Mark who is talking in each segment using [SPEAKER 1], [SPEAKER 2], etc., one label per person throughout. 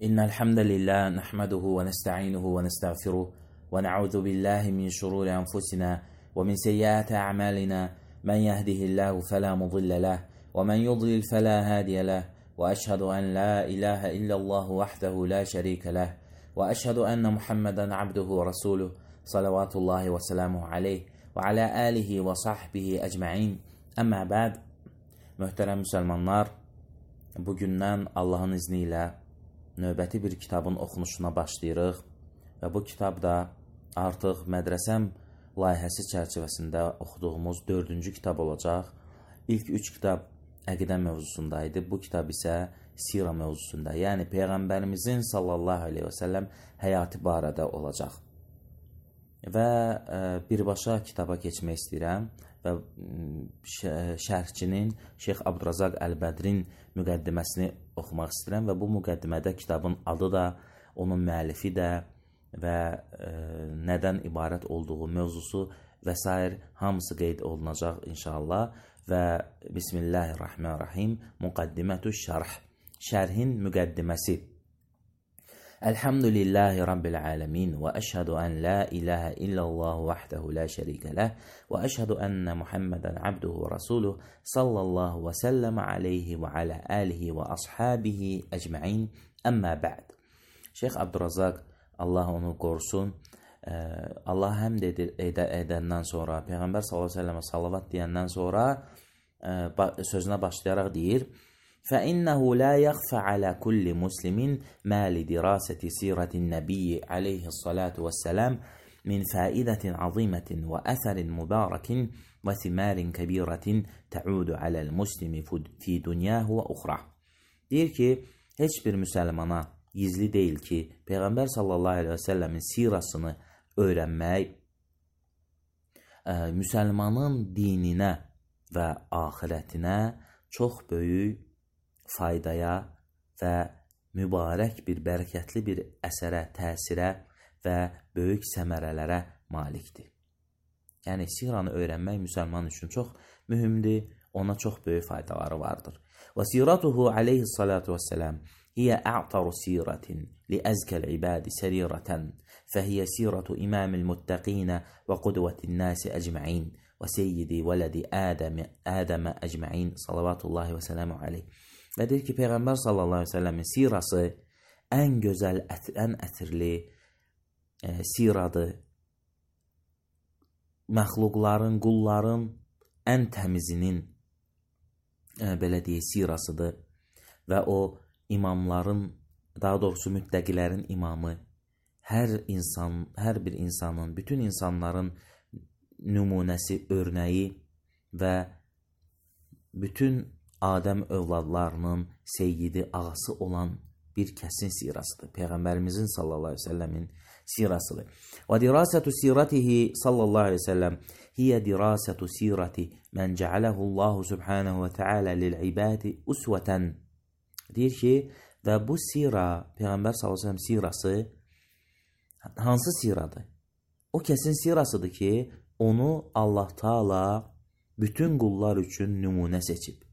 [SPEAKER 1] إن الحمد لله نحمده ونستعينه ونستغفره ونعوذ بالله من شرور أنفسنا ومن سيئات أعمالنا من يهده الله فلا مضل له ومن يضلل فلا هادي له وأشهد أن لا إله إلا الله وحده لا شريك له وأشهد أن محمدا عبده ورسوله صلوات الله وسلامه عليه وعلى آله وصحبه أجمعين. Əmmə bəd, möhtərəm müsəlmanlar, bugündən Allahın izni ilə növbəti bir kitabın oxunuşuna başlayırıq və bu kitab da artıq mədrəsəm layihəsi çərçivəsində oxuduğumuz 4-cü kitab olacaq. İlk 3 kitab əqidə mövzusunda idi, bu kitab isə sira mövzusunda, yəni Peyğəmbərimizin sallallahu aleyhi və səlləm həyatı barədə olacaq. Və birbaşa kitaba keçmək istəyirəm və şərhçinin Şeyx Abdurazaq Əl-Bədrin müqəddiməsini oxumaq istəyirəm və bu müqəddimədə kitabın adı da, onun müəllifi də və nədən ibarət olduğu mövzusu və s. hamısı qeyd olunacaq inşallah. Və Bismillahirrahmanirrahim, müqəddimətü şərh, şərhin müqəddiməsi. Elhamdülillahi Rabbil alemin və əşhədu ən la ilahə illallah vəhdəhu la şərikə ləh və əşhədu ənə Muhammədən abduhu və rasuluh sallallahu və səlləmə aleyhi və alə alihi və ashabihi əcməin. Əmmə bə'd. Şeyx Abdurazaq, Allah onu qorusun, Allah həmd edəndən sonra, Peyğəmbər sallallahu aleyhi və səlləmə salavat deyəndən sonra sözünə başlayaraq deyir: فإنه لا يخفى على كل مسلم ما لدراسة سيرة النبي عليه الصلاة والسلام من فائدة عظيمة وأثر مبارك وثمار كبيرة تعود على المسلم في دنياه وأخرى. Deyir ki, heç bir müsəlmana gizli deyil ki, Peyğəmbər sallallahu aleyhi və səlləmin sirasını öyrənmək müsəlmanın dininə və axirətinə çox böyük faydaya və mübarək bir, bərəkətli bir əsərə, təsirə və böyük səmərələrə malikdir. Yəni, siranı öyrənmək müsəlman üçün çox mühümdir, ona çox böyük faydaları vardır. Və siratuhu aleyhissalatu vesselam hiyə a'taru siratin li əzkəl ibadi sərirətən fəhiyyə siratu imamil muttəqinə və qudvətin nəsi əcməin və seyyidi vələdi Ədəmə əcməin salavatullahi və sələmu aleyh. Və deyir ki, Peyğəmbər sallallahu aleyhi ve səlləmin sirası ən gözəl, ən ətirli siradır. Məxluqların, qulların ən təmizinin belə deyək, sirasıdır. Və o imamların, daha doğrusu müttəqilərin imamı, hər bir insanın, bütün insanların nümunəsi, örnəyi və bütün Adəm övladlarının seyyidi, ağası olan bir kəsin sirasıdır. Peyğəmbərimizin sallallahu aleyhi ve səlləmin sirasıdır. Və dirasətu siratihi sallallahu aleyhi ve səlləm hiyə dirasətu sirati mən cəaləhullahu subhanahu və teala lil-ibadi usvətən. Deyir ki, və bu sira, Peyğəmbər sallallahu aleyhi ve səlləm sirası hansı siradır? O kəsin sirasıdır ki, onu Allah Taala bütün qullar üçün nümunə seçib.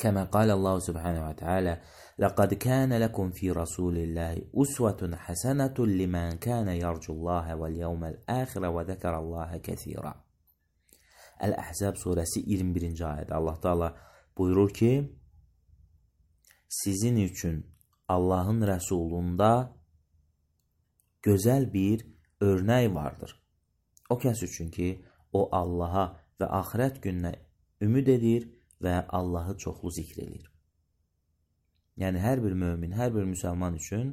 [SPEAKER 1] كما قال الله سبحانه وتعالى لقد كان لكم في رسول الله أسوة حسنة لمن كان يرجو الله واليوم الآخر وذكر الله كثيرا. El-Ahzab suresi 21. ayədə Allah Taala buyurur ki, sizin üçün Allahın Rəsulunda gözəl bir örnək vardır. O kəs üçün ki, o Allaha və axirət gününə ümid edir və Allahı çoxlu zikr edir. Yəni, hər bir mömin, hər bir müsəlman üçün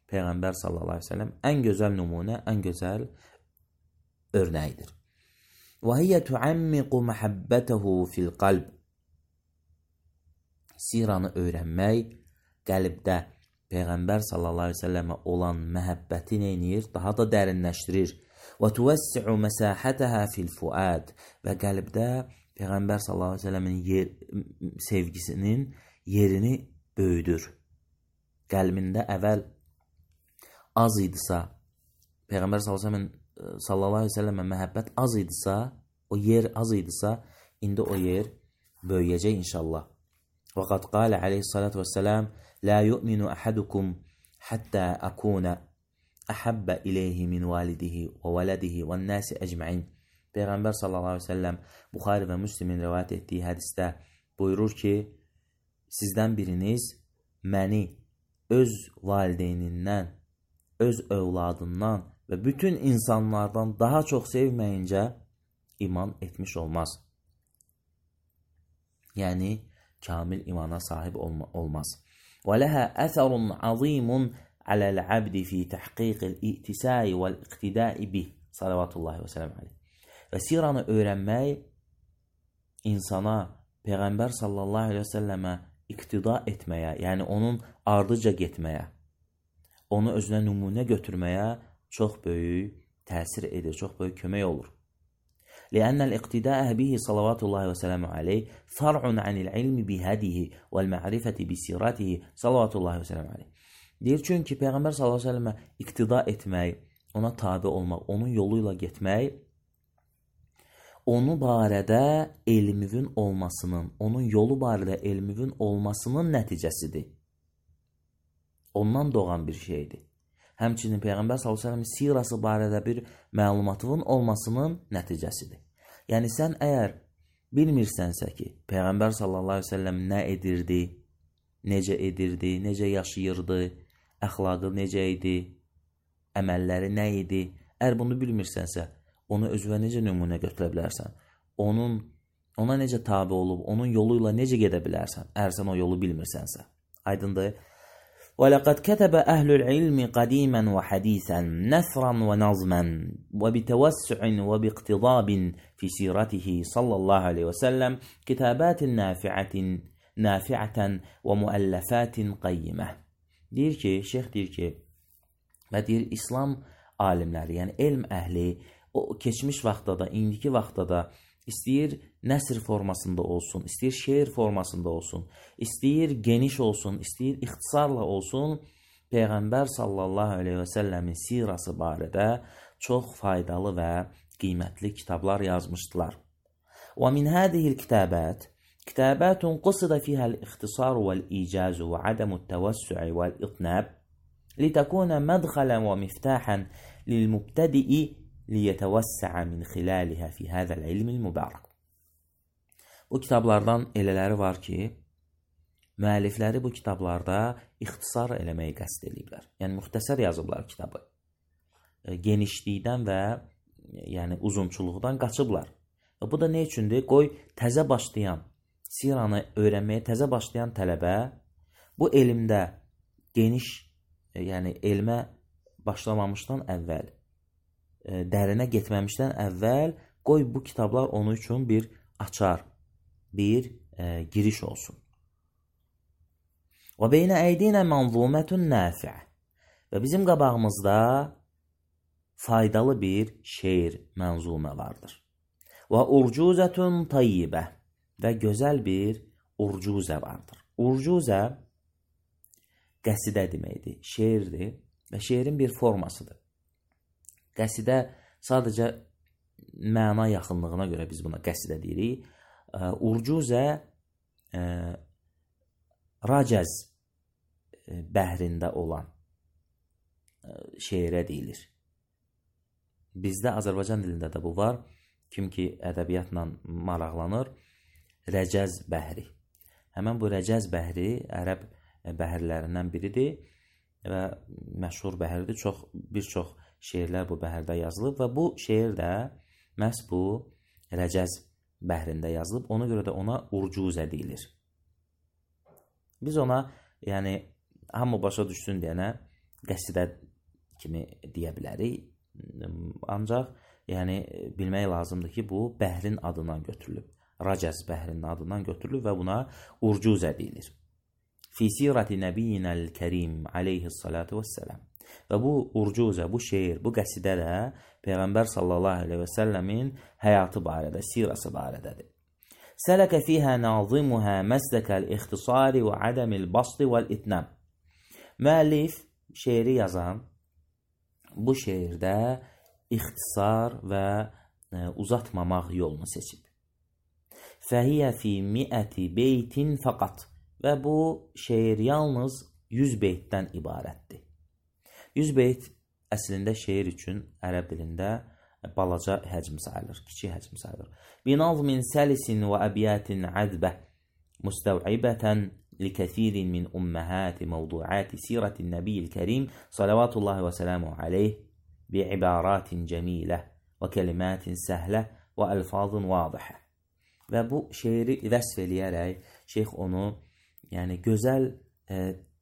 [SPEAKER 1] Peyğəmbər sallallahu aleyhi ve sellem ən gözəl nümunə, ən gözəl örnəyidir. Və hiyə tuəmmiqu məhəbbətəhu fil qalb. Siranı öyrənmək qəlbdə Peyğəmbər sallallahu aleyhi ve sellemə olan məhəbbəti neynir? Daha da dərinləşdirir. Və tuvəssi'u məsahətəhə fil fuad. Və qəlbdə Peyğəmbər sallallahu aleyhi ve sellemin sevgisinin yerini böyüdür. Qəlbində əvvəl az idisə, Peyğəmbər sallallahu aleyhi ve sellemə məhəbbət az idisə, o yer az idisə, indi o yer böyüyəcək inşallah. وقد قال عليه الصلاة والسلام لا يؤمن أحدكم حتى أكون أحب إليه من والده وولده والناس أجمعين. Peyğəmbər sallallahu aleyhi ve sellem Buxari və Müslimin rivayət etdiyi hədisdə buyurur ki, sizdən biriniz məni öz valideynindən, öz övladından və bütün insanlardan daha çox sevməyincə iman etmiş olmaz. Yəni, kamil imana sahib olmaz. وَلَهَا أَثَرٌ عَظِيمٌ عَلَى الْعَبْدِ فِي تَحْقِيقِ الْإِئْتِسَاءِ وَالْإِقْتِدَاءِ بِهِ sallallahu aleyhi ve sellem aleyh. Və siranı öyrənmək insana Peyğəmbər sallallahu aleyhi ve sellemə iqtida etməyə, yəni onun ardıca getməyə, onu özünə nümunə götürməyə çox böyük təsir edir, çox böyük kömək olur. لأن الاقتداء به صلوات الله وسلامه عليه فرع عن العلم بهديه والمعرفة بسيرته صلوات الله وسلامه عليه. Deyir çünki Peyğəmbər sallallahu aleyhi ve sellemə iqtida etmək, ona tabi olmaq, onun yoluyla getmək, onu barədə elmivin olmasının, onun yolu barədə elmivin olmasının nəticəsidir. Ondan doğan bir şeydir. Həmçinin Peyğəmbər sallallahu əleyhi və səlləmin sirası barədə bir məlumatın olmasının nəticəsidir. Yəni sən əgər bilmirsənsə ki, Peyğəmbər sallallahu əleyhi və səlləm nə edirdi, necə yaşayırdı, əxlaqı necə idi, əməlləri nə idi? Əgər bunu bilmirsənsə, onu özünə necə nümunə götürə bilərsən? Ona necə tabi olub, onun yolu ilə necə gedə bilərsən? Əgər sən o yolu bilmirsənsə. Aydındır? وَلَقَدْ كَتَبَ أَهْلُ الْعِلْمِ قَدِيمًا وَحَدِيثًا نَثْرًا وَنَظْمًا وَبِتَوَسُّعٍ وَبِاقْتِضَابٍ فِي سِيرَتِهِ صلى الله عليه وسلم كتابات نافعة ومؤلفات قيمة. Deyir ki, şeyx deyir ki, və deyir İslam alimləri, yəni elm əhli o keçmiş vaxtda da, indiki vaxtda da istəyir nəsr formasında olsun, istəyir şeir formasında olsun, istəyir geniş olsun, istəyir ixtisarla olsun, Peyğəmbər sallallahu aleyhi və səlləmin sirası barədə çox faydalı və qiymətli kitablar yazmışdılar. وَمِنْ هَذِهِ الْكِتَابَاتِ كتابات قصد فيها الاختصار والإيجاز وعدم التوسع والإطناب لتكون مدخلا ومفتاحا للمبتدئ ليتوسع من خلالها في هذا العلم المبارك. Bu kitablardan elələri var ki, müəllifləri bu kitablarda ixtisar eləməyi qəsd ediblər. Yəni müxtəsər yazıblar kitabı. Genişlikdən və yəni uzunçuluqdan qaçıblar. Və bu da nə üçündür? Qoy təzə başlayan, siranı öyrənməyə təzə başlayan tələbə bu elmdə geniş, yəni elmə başlamamışdan əvvəl, dərinə getməmişdən əvvəl qoy bu kitablar onun üçün bir açar, bir giriş olsun. Və beynə əydinə mənzumətun nafi'ə. Və bizim qabağımızda faydalı bir şeir, mənzumə vardır. Və urcuzətun tayyibə. Və gözəl bir urcuzə vardır. Urcuzə qəsidə deməkdir, şeirdir və şeirin bir formasıdır. Qəsidə sadəcə məna yaxınlığına görə biz buna qəsidə deyirik. Urcuzə racəz bəhrində olan şeirə deyilir. Bizdə Azərbaycan dilində də bu var. Kim ki ədəbiyyatla maraqlanır, Rəcəz bəhri. Həmən bu Rəcəz bəhri ərəb bəhirlərindən biridir və məşhur bəhirdir. Bir çox şeirlər bu bəhirdə yazılıb və bu şeir də məhz bu Rəcəz bəhrində yazılıb. Ona görə də ona urcuzə deyilir. Biz ona, yəni hamı başa düşsün deyənə qəsidə kimi deyə bilərik. Ancaq yəni bilmək lazımdır ki, bu bəhrin adından götürülüb. Racəz bəhrinin adından götürülür və buna urcuzə deyilir. Fi sirati nəbiyyinəl kərim aleyhissalatu vesselam. Və bu urcuzə, bu şeir, bu qəsidə də Peyğəmbər sallallahu aleyhi və səlləmin həyatı barədə, sirası barədədir. Sələkə fiyhə nazimuhə məsdəkəl ixtisari və adəmil basti vəl itnəm. Müəllif şeiri yazan bu şeirdə ixtisar və uzatmamaq yolunu seçib. Fəhiyyə fi miəti beytin fəqat. və bu şeir yalnız 100 beytdən ibarətdir. 100 beyt əslində şeir üçün ərəb dilində balaca həcm sayılır, kiçik həcm sayılır. Binazmin səlisin və əbiyatin əzbə müstəvibətən likəsirin min ümməhəti məvduəti sirətin nəbiyyil kərim salavatullahi və sələmu aleyh bi'ibaratin cəmilə və kəlimətin səhlə və əlfazın vadihə. Və bu şeiri vəsf eləyərək şeyx onu gözəl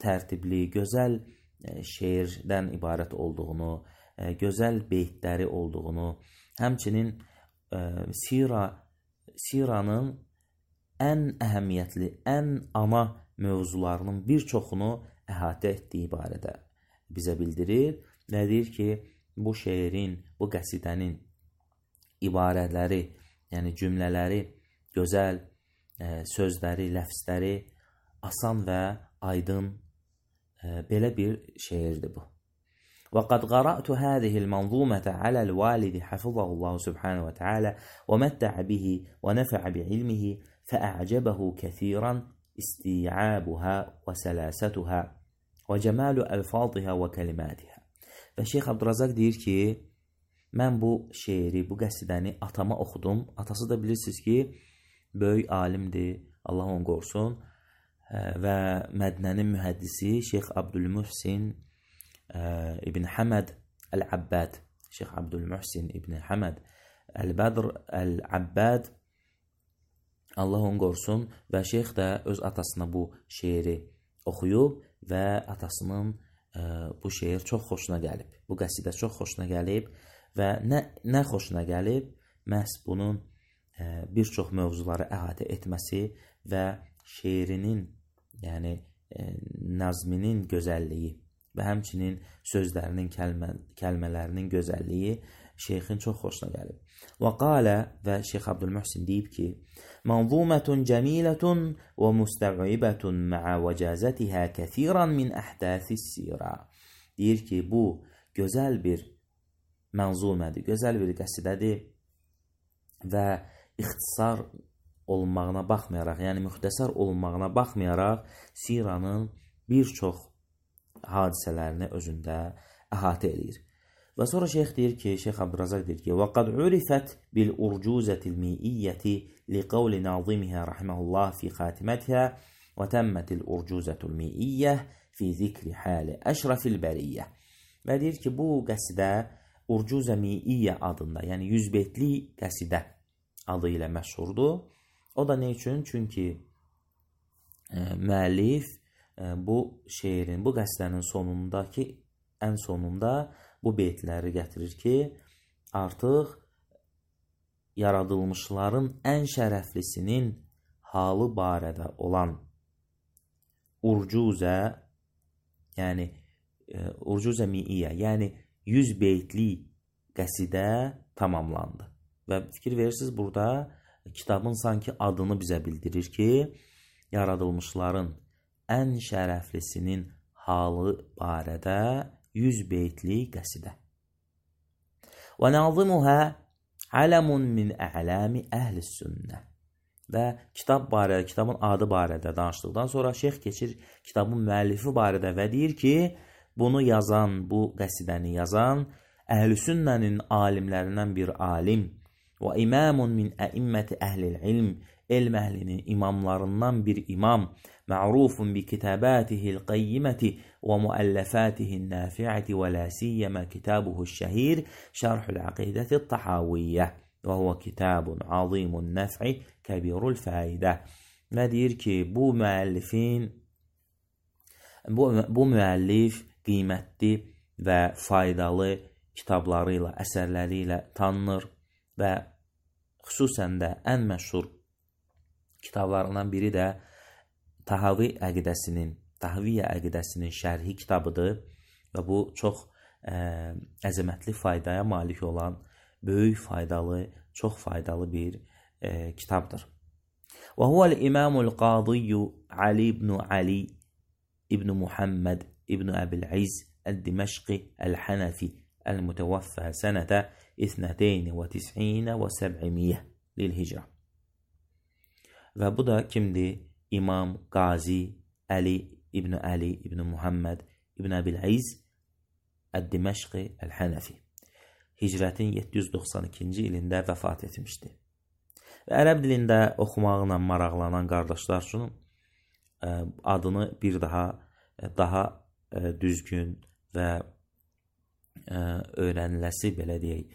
[SPEAKER 1] tərtibli, gözəl şeirdən ibarət olduğunu, gözəl beytləri olduğunu, həmçinin siranın ən əhəmiyyətli, ən ana mövzularının bir çoxunu əhatə etdiyi barədə bizə bildirir və deyir ki, bu şeirin, bu qəsidənin ibarələri, cümlələri gözəl, sözləri, ləfzləri asan və aydın belə bir şeirdir bu. وقد قرأت هذه المنظومة على الوالد حفظه الله سبحانه وتعالى ومتع به ونفع بعلمه فأعجبه كثيرا استيعابها وسلاستها وجمال ألفاظها وكلماتها. Və Şeyx Abdurrazaq deyir ki, mən bu şeiri, bu qəsidəni atama oxudum. Atası da bilirsiniz ki, böyük alimdir, Allah onu qorusun və Mədnənin mühəddisi Şeyx Abdülmuhsin İbn Həməd Əl-Abbad, Şeyx Abdülmuhsin İbn Həməd Əl-Bədr Əl-Abbad, Allah onu qorusun və şeyx də öz atasına bu şeiri oxuyub və atasının bu şeir çox xoşuna gəlib. Bu qəsidə çox xoşuna gəlib və nə xoşuna gəlib? Məhz bunun bir çox mövzuları əhatə etməsi və şeirinin, nazminin gözəlliyi və həmçinin sözlərinin, kəlmələrinin gözəlliyi şeyxin çox xoşuna gəlib. Və qalə, və Şeyx Abdülmuhsin deyib ki, mənzumətun cəmilətun və müstəvibətun mə'ə vəcəzətihə kəsiran min əhdəsis sirə. Deyir ki, bu gözəl bir mənzumədir, gözəl bir qəsidədir və ixtisar olmağına baxmayaraq, müxtəsar olmağına baxmayaraq siranın bir çox hadisələrini özündə əhatə edir. Və sonra şeyx deyir ki, Şeyx Abdurrazaq deyir ki, وَقَدْ عُرِفَتْ بِالْأُرْجُوزَةِ الْمِئِيَّةِ لِقَوْلِ نَاظِمِهَا رَحِمَهُ اللّٰهِ فِي خَاتِمَتِهَا وَتَمَّتِ الْأُرْجُوزَةُ الْمِئِيَّةِ فِي ذِكْرِ حَالِ أَشْرَفِ الْبَرِيَّةِ. Və deyir ki, bu qəsidə Urcuzə Mi'iyyə adında, 100 beytli qəsidə adı ilə məşhurdur. O da ne üçün? Çünki müəllif bu şeirin, bu qəsidənin ən sonunda bu beytləri gətirir ki, artıq yaradılmışların ən şərəflisinin halı barədə olan Urcuzə, Urcuzə Mi'iyyə, 100 beytli qəsidə tamamlandı. Və fikir verirsiniz, burada kitabın sanki adını bizə bildirir ki, yaradılmışların ən şərəflisinin halı barədə 100 beytli qəsidə. Və nazimuhə aləmun min a'lami əhlis sünnə. Və kitabın adı barədə danışdıqdan sonra şeyx keçir kitabın müəllifi barədə və deyir ki, bunu yazan, bu qəsidəni yazan əhl-i sünnənin alimlərindən bir alim və imamun min əimməti əhlil ilm, elm əhlinin imamlarından bir imam, ma'rufun bi kitabatihi'l qayyimati və muallafatihi'n nafi'ati və la siyyama kitabuhu'ş şəhir şərhul aqidati't tahawiyyə və huwa kitabun azimun naf'i kabirul faidə. Və deyir ki, bu müəllif qiymətli və faydalı kitablarıyla, əsərləri ilə tanınır və xüsusən də ən məşhur kitablarından biri də Tahaviyyə əqidəsinin şərhi kitabıdır və bu çox əzəmətli faydaya malik olan, böyük faydalı, çox faydalı bir kitabdır. Və huvəl-imamul qadiyyu Ali ibn Ali ibn Muhammed ibn Əbil-İz Əl-Diməşqi Əl-Hənəfi Əl-Mütəvəffə sənətə 92 və 700 lil-hicrə. Və bu da kimdir? İmam Qazi Ali ibn Muhammed ibn Əbil-İz Əd-Diməşqi Əl-Hənəfi hicrətin 792-ci ilində vəfat etmişdi. Və ərəb dilində oxumaqla maraqlanan qardaşlar üçün adını bir daha düzgün və öyrəniləsi, belə deyək,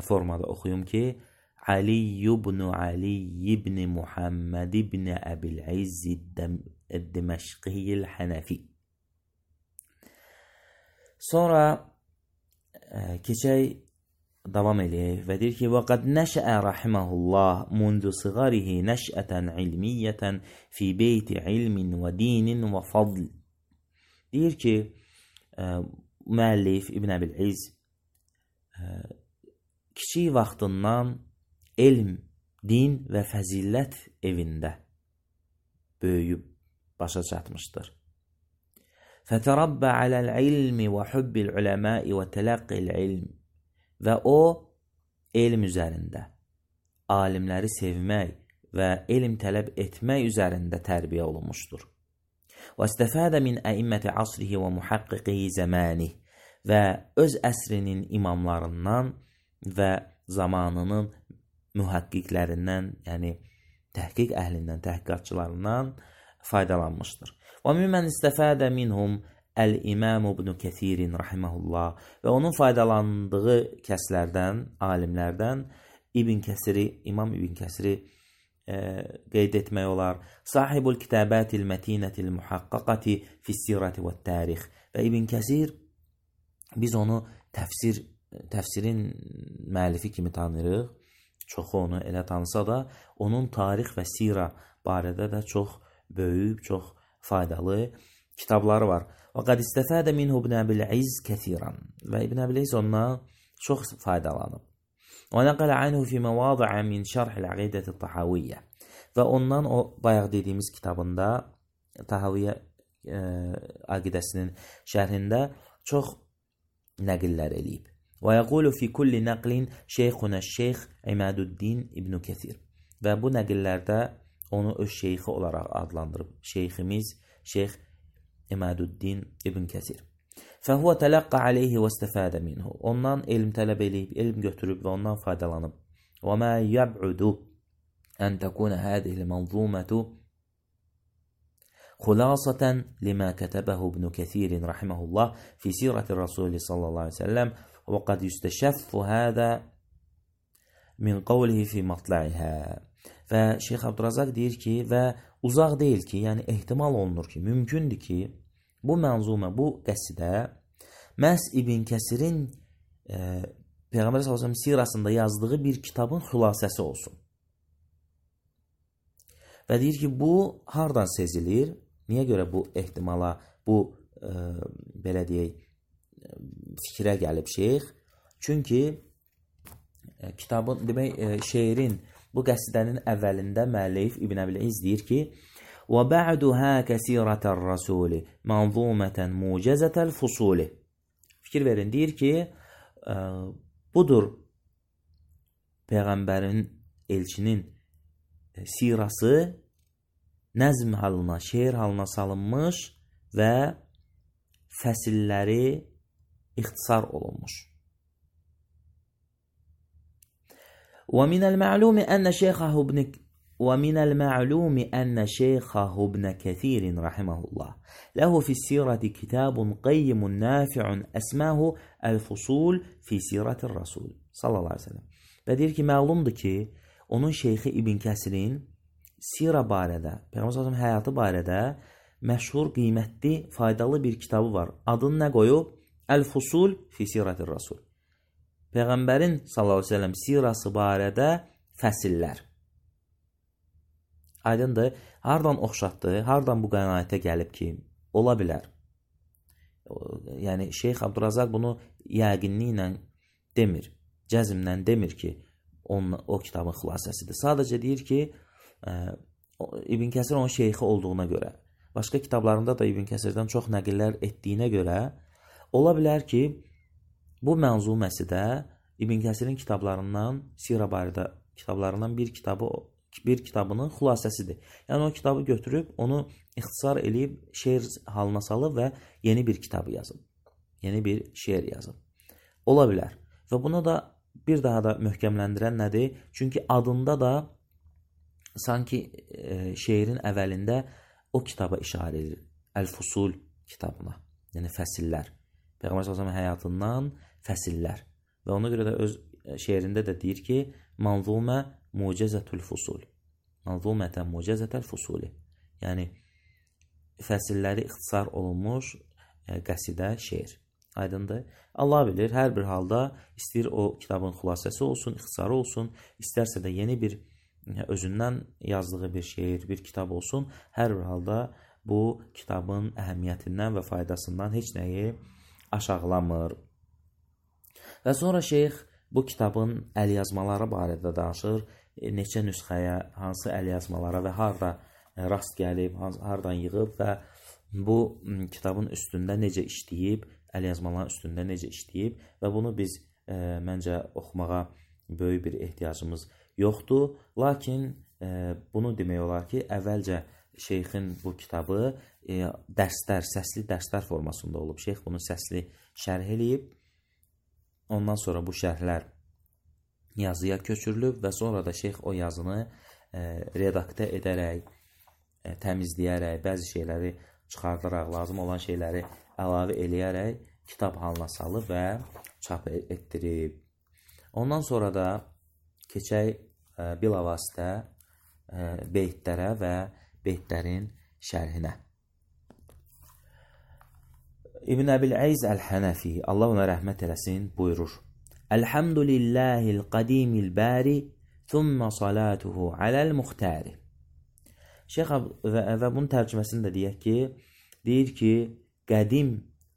[SPEAKER 1] formada oxuyum ki, Ali ibn Ali ibn Muhammed ibn Əbil-İz Əd-Diməşqi Əl-Hənəfi. Sonra keçək, davam eləyək və deyir ki, وَقَدْ نَشَأَ رَحِمَهُ اللّٰهِ مُنْذُ صِغَرِهِ نَشْأَةً عِلْمِيَّةً فِي بَيْتِ عِلْمٍ وَدِينٍ وَفَضْلٍ. Deyir ki, müəllif İbn Əbil-İz kiçik vaxtından elm, din və fəzilət evində böyüyüb başa çatmışdır. فَتَرَبَّ عَلَى الْعِلْمِ وَحُبِّ الْعُلَمَاءِ وَتَلَقِّ الْعِلْمِ. Və o, elm üzərində, alimləri sevmək və elm tələb etmək üzərində tərbiyə olunmuşdur. وَاسْتَفَادَ مِنْ أَئِمَّةِ عَصْرِهِ وَمُحَقِّقِهِ زَمَانِهِ. Və öz əsrinin imamlarından və zamanının mühəqqiqlərindən, yəni təhqiq əhlindən, təhqiqatçılarından faydalanmışdır. وَمِمَّنْ اسْتَفَادَ مِنْهُمْ Əl-İmam ibn Kəsirin rahiməhullah. Və onun faydalandığı kəslərdən, alimlərdən İmam İbn Kəsiri qeyd etmək olar. Sahibul kitabatil mətinətil muhaqqaqati fis-sirati vət-tarix. Və İbn Kəsir, biz onu təfsirin müəllifi kimi tanıyırıq. Çoxu onu elə tanısa da, onun tarix və sira barədə də çox böyük, çox faydalı kitabları var. وَقَدْ اسْتَفَادَ مِنْهُ ابْنُ أَبِي-الْعِزِّ كَثِيرًا. Və İbn Əbil-İz ondan çox faydalanıb. وَنَقَلَ عَنْهُ فِي مَوَاضِعَ مِنْ شَرْحِ الْعَقِيدَةِ الطَّحَوِيَّةِ. Və ondan o bayaq dediyimiz kitabında, Tahaviyyə aqidəsinin şərhində çox nəqillər eləyib. وَيَقُولُ فِي كُلِّ نَقْلٍ شَيْخُنَا الشَّيْخ İmaduddin ibn Kəsir. Və bu nəqillərdə onu öz şeyxi olaraq adlandırıb. Şeyximiz, Şeyx İmaduddin ibn Kəsir. فَهُوَ تَلَقَّ عَلَيْهِ وَاسْتَفَادَ مِنْهُ. Ondan elm tələb eləyib, elm götürüb və ondan faydalanıb. وَمَا يَبْعُدُ أَنْ تَكُونَ هَذِهِ الْمَنْظُومَةُ خُلَاصَةً لِمَا كَتَبَهُ ابْنُ كَثِيرٍ رَحِمَهُ اللّٰهِ فِي سِيرَةِ الرَّسُولِ صلى الله عليه وسلم وَقَدْ يُسْتَشَفُّ هَذَا مِنْ قَوْلِهِ فِي مَطْلَعِهَا. Və Şeyx Abdurrazaq deyir ki, və uzaq deyil ki, yəni ehtimal olunur ki, mümkündür ki, bu mənzumə, bu qəsidə məhz İbn Kəsirin Peyğəmbər s.ə.v sirasında yazdığı bir kitabın xülasəsi olsun. Və deyir ki, bu hardan sezilir? Niyə görə bu ehtimala, bu belə deyək, fikrə gəlib şeyx? Çünki kitabın, demək, şeirin, bu qəsidənin əvvəlində müəllif İbn Əbil-İz deyir ki, وَبَعْدُهَا كَسِيرَةَ الرَّسُولِ مَنْظُومَةً مُوجَزَةَ الْفُصُولِ. Fikir verin, deyir ki, budur Peyğəmbərin, elçinin sirası nəzm halına, şeir halına salınmış və fəsilləri ixtisar olunmuş. ومن المعلوم أن شيخه ابن كثير رحمه الله له في السيرة كتاب قيم نافع أسماه الفصول في سيرة الرسول صلى الله عليه وسلم. Və deyir ki, məlumdur ki, onun şeyxi İbn Kəsirin sira barədə, Peyğəmbər həyatı barədə məşhur, qiymətli, faydalı bir kitabı var. Adını nə qoyub? Əl-Fusul fi Siratir Rasul. Peyğəmbərin sallallahu əleyhi və səlləm sirası barədə fəsillər. Aydındır, hardan oxşatdı, hardan bu qənaətə gəlib ki, ola bilər. Yəni Şeyx Abdurrazaq bunu yəqinliklə demir, cəzmlə demir ki, o kitabın xülasəsidir. Sadəcə deyir ki, İbn Kəsir onun şeyxi olduğuna görə, başqa kitablarında da İbn Kəsirdən çox nəqillər etdiyinə görə, ola bilər ki, bu mənzuməsi də İbn Kəsirin kitablarından, sira barədə kitablarından bir bir kitabının xülasəsidir. Yəni o kitabı götürüb, onu ixtisar eləyib, şeir halına salıb və yeni bir kitabı yazıb. Yeni bir şeir yazıb. Ola bilər. Və bunu da bir daha da möhkəmləndirən nədir? Çünki adında da sanki şeirin əvvəlində o kitaba işarə edir. Əl-Fusul kitabına. Yəni fəsillər. Peyğəmbər s.ə.v həyatından fəsillər. Və ona görə də öz şeirində də deyir ki, Manzumə mucəzətül fusul. Manzumətən mucəzətəl fusuli. Yəni, fəsilləri ixtisar olunmuş qəsidə şeir. Aydındır. Allah bilir, hər bir halda istəyir o kitabın xülasəsi olsun, ixtisarı olsun, istərsə də yeni bir özündən yazdığı bir şeir, bir kitab olsun. Hər bir halda bu kitabın əhəmiyyətindən və faydasından heç nəyi aşağılamır. Və sonra şeyx bu kitabın əlyazmaları barədə danışır. Neçə nüsxəyə, hansı əlyazmalara və harada rast gəlib, haradan yığıb və bu kitabın üstündə necə işləyib, əlyazmaların üstündə necə işləyib və bunu biz məncə oxumağa böyük bir ehtiyacımız yoxdur. Lakin bunu demək olar ki, əvvəlcə şeyxin bu kitabı dərslər, səsli dərslər formasında olub. Şeyx bunu səsli şərh eləyib. Ondan sonra bu şərhlər yazıya köçürülüb və sonra da şeyx o yazını redaktə edərək, təmizləyərək, bəzi şeyləri çıxardaraq, lazım olan şeyləri əlavə eləyərək kitab halına salıb və çap etdirib. Ondan sonra da keçək bilavasitə beytlərə və beytlərin şərhinə. İbn Əbil-Əz Əl-Hənəfi, Allah ona rəhmət eləsin, buyurur. Elhamdülillahil qadimil bari, thumma salatuhu aləl-muxtari. Şeyx və bunun tərcüməsində deyir ki, qədim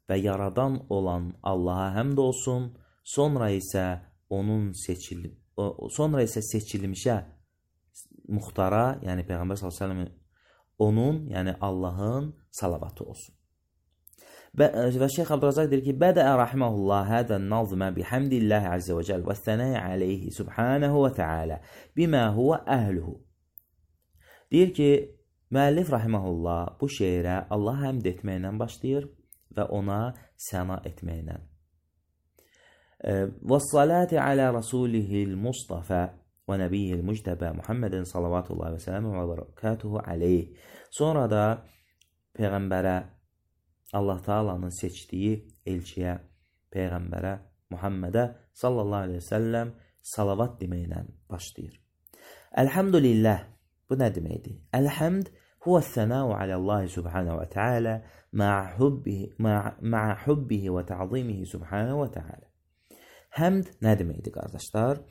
[SPEAKER 1] və yaradan olan Allaha həmd olsun, sonra isə seçilmişə muxtara, yəni Peyğəmbər s.ə.v onun, yəni Allahın salavatı olsun. Və Şeyx Abdurazaq deyir ki, Bədəə rahiməhullah hədən nazmə bihamdillahi azze və cəl və thənəyə aleyhi subhanəhu və tealə bimə huvə əhluhu. Deyir ki, müəllif rahiməhullah bu şeirə Allah həmd etməklə başlayır və ona səna etməklə. Və salati alə rasulihil Mustafa və nəbiyyil müctəbə Muhammedin salavatullahi və sələmü və barakatuhu aleyh. Sonra da Peyğəmbərə, Allah Taala'nın seçdiyi elçiyə, Peyğəmbərə, Muhammedə sallallahu aleyhi ve sellem salavat deməklə başlayır. Elhamdülillah, bu nə deməkdir? Elhamd huvəs-sənau aləllahi subhanahu və teala ma'a hubbihi və ta'zimihi subhanahu və teala. Həmd nə deməkdir, qardaşlar?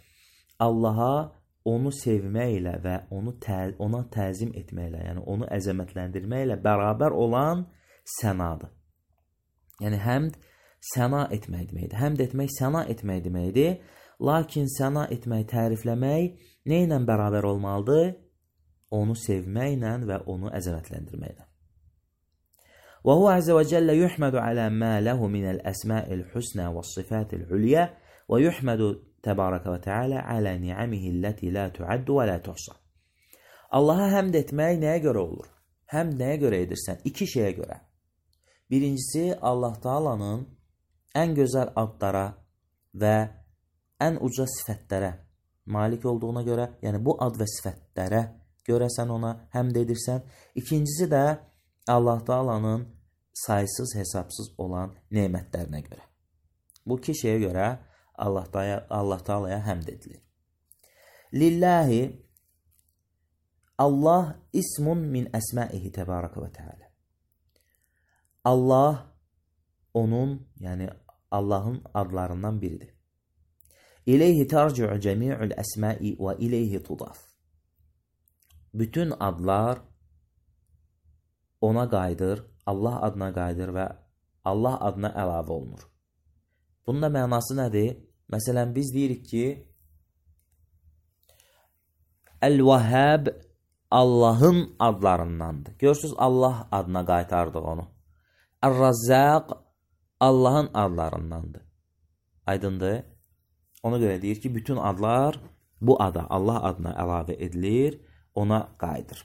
[SPEAKER 1] Allaha onu sevməklə və ona təzim etməklə, yəni onu əzəmətləndirməklə bərabər olan sənadır. Yəni, həmd səna etmək deməkdir. Həmd etmək səna etmək deməkdir. Lakin səna etmək, tərifləmək nə ilə bərabər olmalıdır? Onu sevməklə və onu əzəmətləndirməklə. Və huvə əzə və cəllə yuhmədu alə mə ləhu minəl əsma'il husnə və sıfatil hülyə və yuhmədu təbarəkə və tealə alə ni'amihi ləti lə tuaddu və lə tuhsa. Allaha həmd etmək nəyə görə olur? Həmd nəyə görə edirsən? İki şeyə görə. Birincisi, Allah Taala'nın ən gözəl adlara və ən uca sifətlərə malik olduğuna görə, yəni bu ad və sifətlərə görə sən ona həmd edirsən. İkincisi də Allah Taala'nın saysız, hesabsız olan nemətlərinə görə. Bu iki şeyə görə Allah Taala'ya həmd edilir. Lillahi, Allah ismun min əsmaihi təbarəkə və teala. Allah onun, yəni Allahın adlarından biridir. İleyhi tərci'u cəmi'ul əsma'i və ileyhi tudaf. Bütün adlar ona qayıdır, Allah adına qayıdır və Allah adına əlavə olunur. Bunun da mənası nədir? Məsələn, biz deyirik ki, Əl-Vəhəb Allahın adlarındandır. Görürsünüz, Allah adına qaytardıq onu. Əl-Razzaq Allahın adlarındandır. Aydındır. Ona görə deyir ki, bütün adlar bu ada, Allah adına əlavə edilir. ona qayıdır.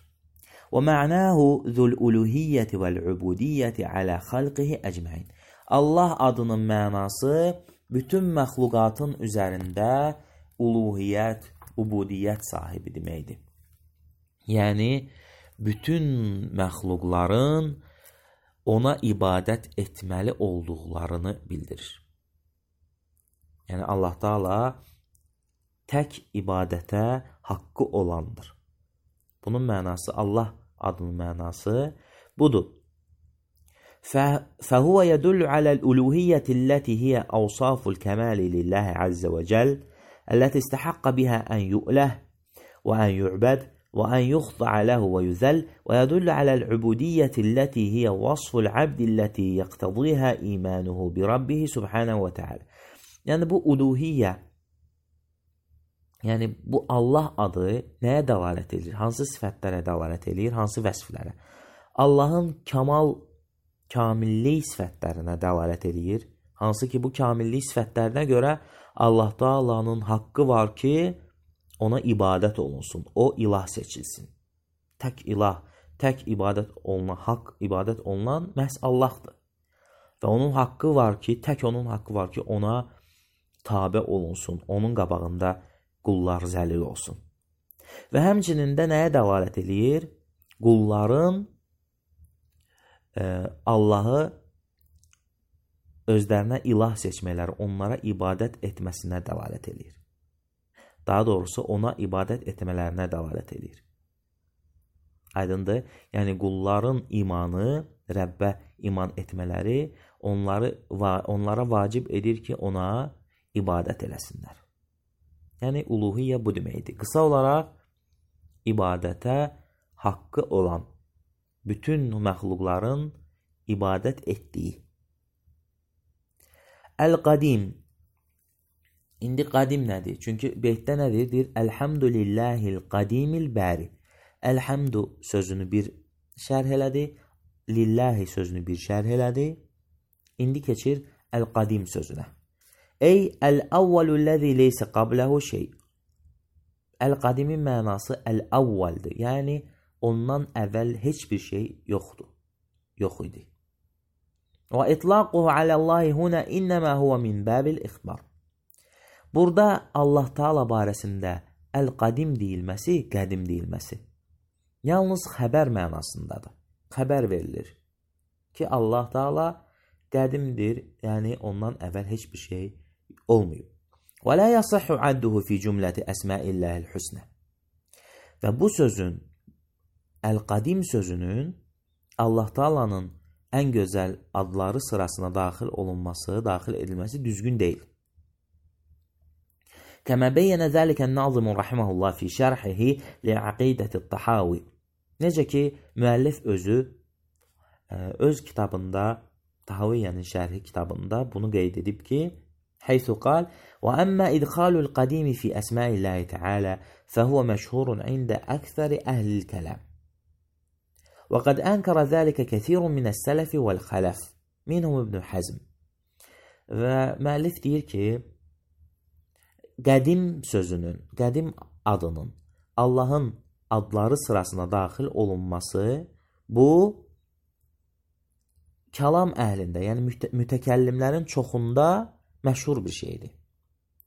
[SPEAKER 1] Və mə'nahu zul uluhiyyəti vəl ubudiyyəti alə xalqihi əcməin. Allah adının mənası bütün məxluqatın üzərində uluhiyyət, ubudiyyət sahibi deməkdir. Yəni, bütün məxluqların ona ibadət etməli olduqlarını bildirir. Yəni, Allah Taala tək ibadətə haqqı olandır. Bunun mənası, Allah adının mənası budur. فهو يدل على الألوهية التي هي أوصاف الكمال لله عز وجل التي استحق بها أن يؤله وأن يعبد وأن يخضع له ويذل ويدل على العبودية التي هي وصف العبد التي يقتضيها إيمانه بربه سبحانه وتعالى. Yani bu uluhiyyə, yəni bu Allah adı nəyə dəlalət edir? Hansı sifətlərə dəlalət edir? Hansı vəsflərə? Allahın kamillik sifətlərinə dəlalət edir. Hansı ki, bu kamillik sifətlərinə görə Allah Taala'nın haqqı var ki, ona ibadət olunsun. O ilah seçilsin. Tək ilah, tək ibadət olunan, haqq ibadət olunan məhz Allahdır. Və onun haqqı var ki, tək onun haqqı var ki, ona tabe olunsun. Onun qabağında qullar zəlil olsun. Və həmçinin də nəyə dəlalət edir? Qulların Allahı özlərinə ilah seçmələri, onlara ibadət etməsinə dəlalət edir. Daha doğrusu, ona ibadət etmələrinə dəlalət edir. Aydındır? Yəni, qulların imanı, Rəbbə iman etmələri onlara vacib edir ki, ona ibadət eləsinlər. Yəni, uluhiyyə bu deməkdir. Qısa olaraq, ibadətə haqqı olan bütün məxluqların ibadət etdiyi. Əl-Qadim. İndi qadim nədir? Çünki beytdə nədir? Deyir, Əlhamdülillahil qadimil bəri. Əlhamdu sözünü bir şərh elədi. Lillahi sözünü bir şərh elədi. İndi keçir Əl-Qadim sözünə. Ey əl-əvvəlü-ləzi leysə qabləhu şey. Əl-Qadimin mənası əl-əvvəldir. Yəni, ondan əvvəl heç bir şey yoxdur. Yox idi. Və itlaquhu aləllahi huna innəmə huvə min bəbil ixbar. Burada Allah Taala barəsində əl-qadim deyilməsi, qədim deyilməsi yalnız xəbər mənasındadır. Xəbər verilir ki, Allah Taala qədimdir, yəni ondan əvvəl heç bir şey olmayıb. Və la yasihhu adduhu fi cümləti əsmaillahil husnə. Və bu sözün, əl-qadim sözünün Allah Taala'nın ən gözəl adları sırasına daxil edilməsi düzgün deyil. Kəmə beyyənə zəlikən nazimun rahiməhullah fi şərhihi li'aqidəti tahavi. Necə ki, müəllif özü öz kitabında, Tahaviyyənin şərhi kitabında bunu qeyd edib ki, Haythu qal, və əmmə idxalul qadimi fi əsmaillahi teala fəhuvə məşhurun ində əksəri əhlil kələm. Və qad ənkərə zəlikə kəthirun minəs sələfi vəl-xələf, minhum İbn Həzm. Və müəllif deyir ki, qədim sözünün, qədim adının Allahın adları sırasına daxil olunması bu kəlam əhlində, yəni mütəkəllimlərin çoxunda məşhur bir şeydir.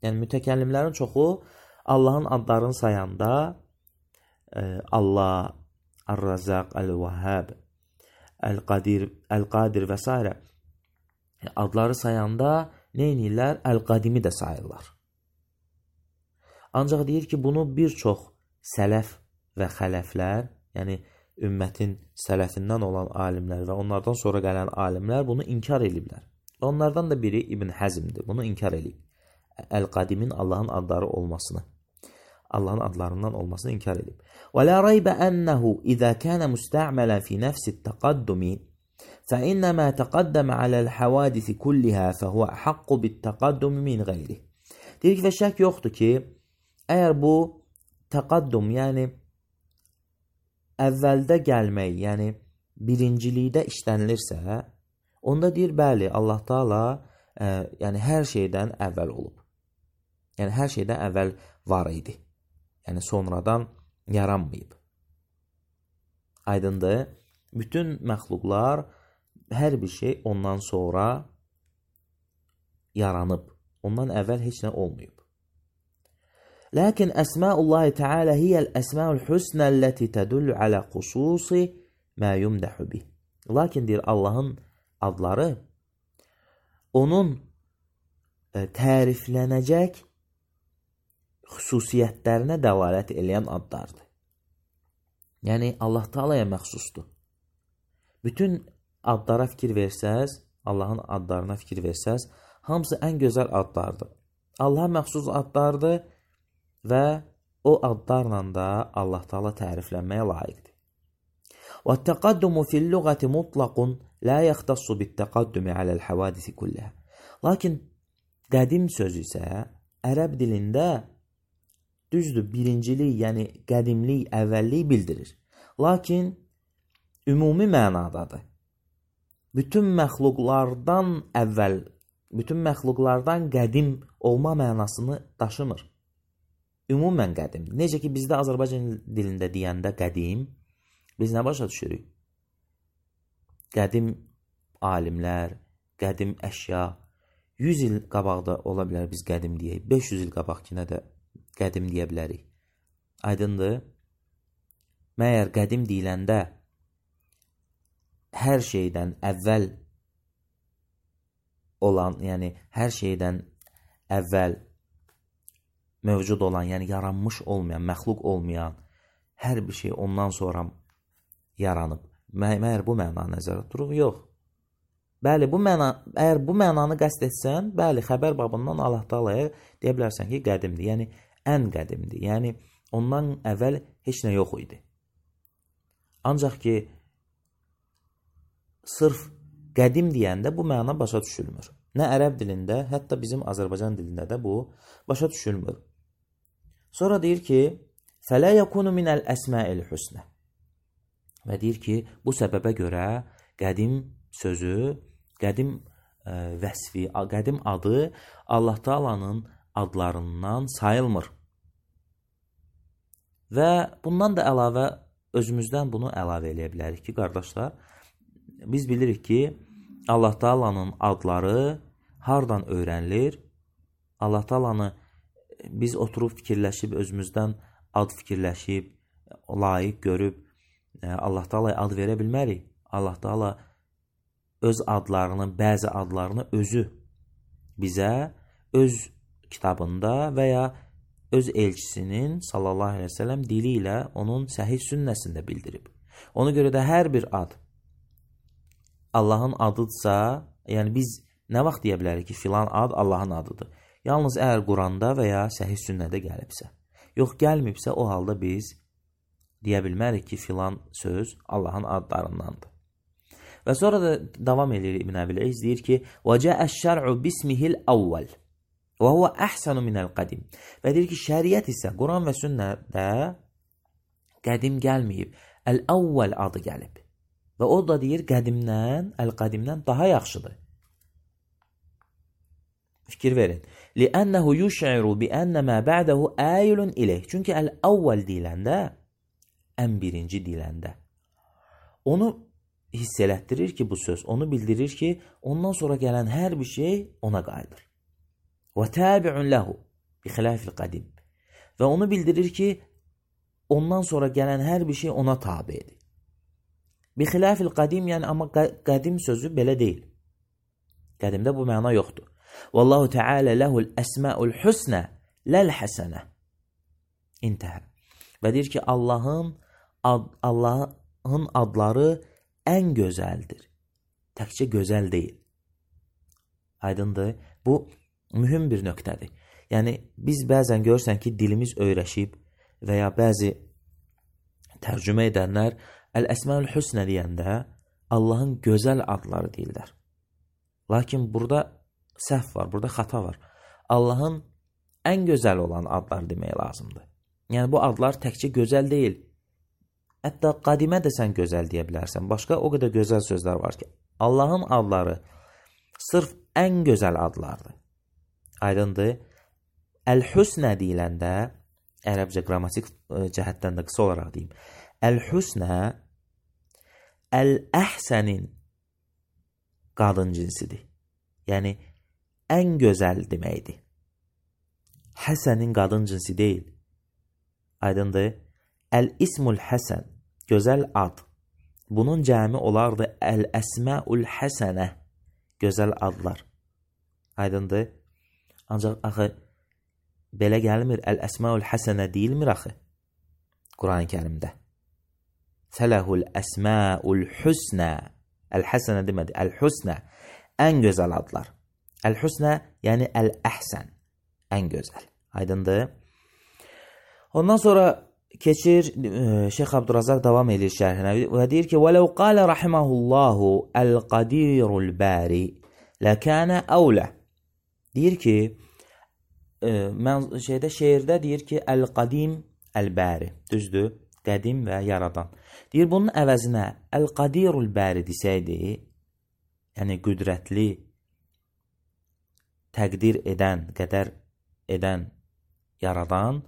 [SPEAKER 1] Yəni mütəkəllimlərin çoxu Allahın adlarını sayanda Allah, Ar-Razaq, Əl-Vəhhab, Əl-Qadir və s. adları sayanda nə edirlər? Əl-Qadimi də sayırlar. Ancaq deyir ki, bunu bir çox sələf və xələflər, yəni ümmətin sələfindən olan alimlər və onlardan sonra gələn alimlər bunu inkar ediblər. Onlardan da biri İbn Həzmdir. Bunu inkar edib. Əl-Qadimin Allahın adları olmasını, Allahın adlarından olmasını inkar edib. Və la raybə ənəhu izə kənə müstə'mələn fi nəfsi təqaddumi fəinnəmə təqaddəmə aləl həvadisi kullihə fəhuvə haqqu bit-təqaddumi min qeyri. Deyir ki, və şək yoxdur ki, əgər bu təqaddum, yəni əvvəldə gəlmək, yəni birincilikdə işlənilirsə, onda deyir, bəli, Allah Taala yəni hər şeydən əvvəl olub. Yəni hər şeydən əvvəl var idi. Yəni sonradan yaranmayıb. Aydındır? Bütün məxluqlar, hər bir şey ondan sonra yaranıb. Ondan əvvəl heç nə olmayıb. Lakin əsmaullahi Teala hiyəl əsmaul husnəlləti tədullu alə xususi mə yumdəhu bih. Lakin deyir, Allahın adları onun təriflənəcək xüsusiyyətlərinə dəlalət eləyən adlardır. Yəni, Allah Teala'ya məxsusdur. Bütün adlara fikir versəz, Allahın adlarına fikir versəz, hamısı ən gözəl adlardır. Allaha məxsus adlardır və o adlarla da Allah Teala təriflənməyə layiqdir. وَالتَّقَدُّمُ فِي اللُّغَةِ مُطْلَقٌ لَا يَخْتَصُّ بِالتَّقَدُّمِ عَلَى الْحَوَادِثِ كُلِّهَا. Lakin qədim sözü isə ərəb dilində düzdür, birincilik, yəni qədimlik, əvvəllik bildirir. Lakin ümumi mənadadır. Bütün məxluqlardan əvvəl, bütün məxluqlardan qədim olma mənasını daşımır. Ümumən qədimdir. Necə ki, bizdə Azərbaycan dilində deyəndə qədim, biz nə başa düşürük? Qədim alimlər, qədim əşya, 100 il qabaqda ola bilər biz qədim deyək, 500 il qabaqkinə də qədim deyə bilərik. Aydındır? Məyər qədim deyiləndə hər şeydən əvvəl olan, yəni hər şeydən əvvəl mövcud olan, yəni yaranmış olmayan, məxluq olmayan hər bir şey ondan sonra yaranıb. Məyər bu məna nəzərdə tuturuq? Yox. Bəli, əgər bu mənanı qəsd etsən, bəli, xəbər babından Allah Teala'ya deyə bilərsən ki, qədimdir. Yəni, ən qədimdir. Yəni, ondan əvvəl heç nə yox idi. Ancaq ki, sırf qədim deyəndə bu məna başa düşülmür. Nə ərəb dilində, hətta bizim Azərbaycan dilində də bu başa düşülmür. Sonra deyir ki, فَلَا يَكُونُ مِنَ الْأَسْمَاءِ الْحُسْنَةِ. Və deyir ki, bu səbəbə görə qədim sözü, qədim vəsfi, qədim adı Allah Teala'nın adlarından sayılmır. Və bundan da əlavə, özümüzdən bunu əlavə eləyə bilərik ki, qardaşlar, biz bilirik ki, Allah Teala'nın adları hardan öyrənilir? Allah Teala'nı biz oturub fikirləşib, özümüzdən ad fikirləşib, layiq görüb, Allah Teala'ya ad verə bilmərik. Allah Teala öz adlarını, bəzi adlarını özü bizə öz kitabında və ya öz elçisinin sallallahu aleyhi ve sellem dili ilə onun səhih sünnəsində bildirib. Ona görə də hər bir ad Allahın adıdsa, yəni biz nə vaxt deyə bilərik ki, filan ad Allahın adıdır? Yalnız əgər Quranda və ya səhih sünnədə gəlibsə. Yox, gəlməyibsə, o halda biz deyə bilmərik ki, filan söz Allahın adlarındandır. Və sonra da davam edir İbn Əbil İz, deyir ki, وَجَاءَ الشَّرْعُ بِسْمِهِ الْأَوَّلِ وَهُوَ أَحْسَنُ مِنَ الْقَدِيمِ. Və deyir ki, şəriət isə Quran və sünnədə qədim gəlməyib, əl-əvvəl adı gəlib. Və o da deyir, qədimdən, əl-qədimdən daha yaxşıdır. Fikir verin. لِأَنَّهُ يُشْعِرُ بِأَنَّ مَا بَعْدَهُ آيِلٌ إِلَيْهِ. Çünki əl-əvvəl deyiləndə, ən birinci deyiləndə, onu hiss elətdirir ki, bu söz, onu bildirir ki, ondan sonra gələn hər bir şey ona qayıdır. وَتَابِعٌ لَهُ بِخِلَافِ الْقَدِيمِ. Və onu bildirir ki, ondan sonra gələn hər bir şey ona tabidir. بِخِلَافِ الْقَدِيمِ, yəni amma qədim sözü belə deyil. Qədimdə bu məna yoxdur. وَاللَّهُ تَعَالَ لَهُ الْأَسْمَاءُ الْحُسْنَى لَلْحَسَنَةِ. İntihə. Və deyir ki, Allahın adları ən gözəldir. Təkcə gözəl deyil. Aydındır. Bu mühüm bir nöqtədir. Yəni, biz bəzən görürsən ki, dilimiz öyrəşib və ya bəzi tərcümə edənlər Əl-Əsməül Hüsnə deyəndə Allahın gözəl adları deyirlər. Lakin burada səhv var, burada xata var. Allahın ən gözəl olan adlar demək lazımdır. Yəni, bu adlar təkcə gözəl deyil. Hətta qadimə də sən gözəl deyə bilərsən. Başqa o qədər gözəl sözlər var ki, Allahın adları sırf ən gözəl adlardır. Aydındır. Əl-Hüsnə deyiləndə, ərəbcə qrammatik cəhətdən də qısa olaraq deyim, Əl-Hüsnə əl-əhsənin qadın cinsidir. Yəni, ən gözəl deməkdir. Həsənin qadın cinsi deyil. Aydındır. Əl-ismul həsən, gözəl ad. Bunun cəmi olardı əl-əsməul həsənə, gözəl adlar. Aydındır. Ancaq axı, belə gəlmir, əl-əsməul həsənə deyilmir axı. Quran-ı Kərimdə. Fələhul əsməul hüsnə. Əl-həsənə demədi, əl-hüsnə. Ən gözəl adlar. Əl-hüsnə, yəni əl-əhsən. Ən gözəl. Aydındır. Ondan sonra keçir, Şeyx Abdurazaq davam edir şərhinə və deyir ki, وَلَوْ قَالَ رَحِمَهُ اللّٰهُ الْقَدِيرُ الْبَارِ لَكَانَ أَوْلَى. Deyir ki, şeirdə deyir ki, Əl-Qadim Əl-Bəri, düzdür, qədim və yaradan. Deyir, bunun əvəzinə Əl-Qadirul Bəri desəydi, yəni qüdrətli, təqdir edən, qədər edən, yaradan,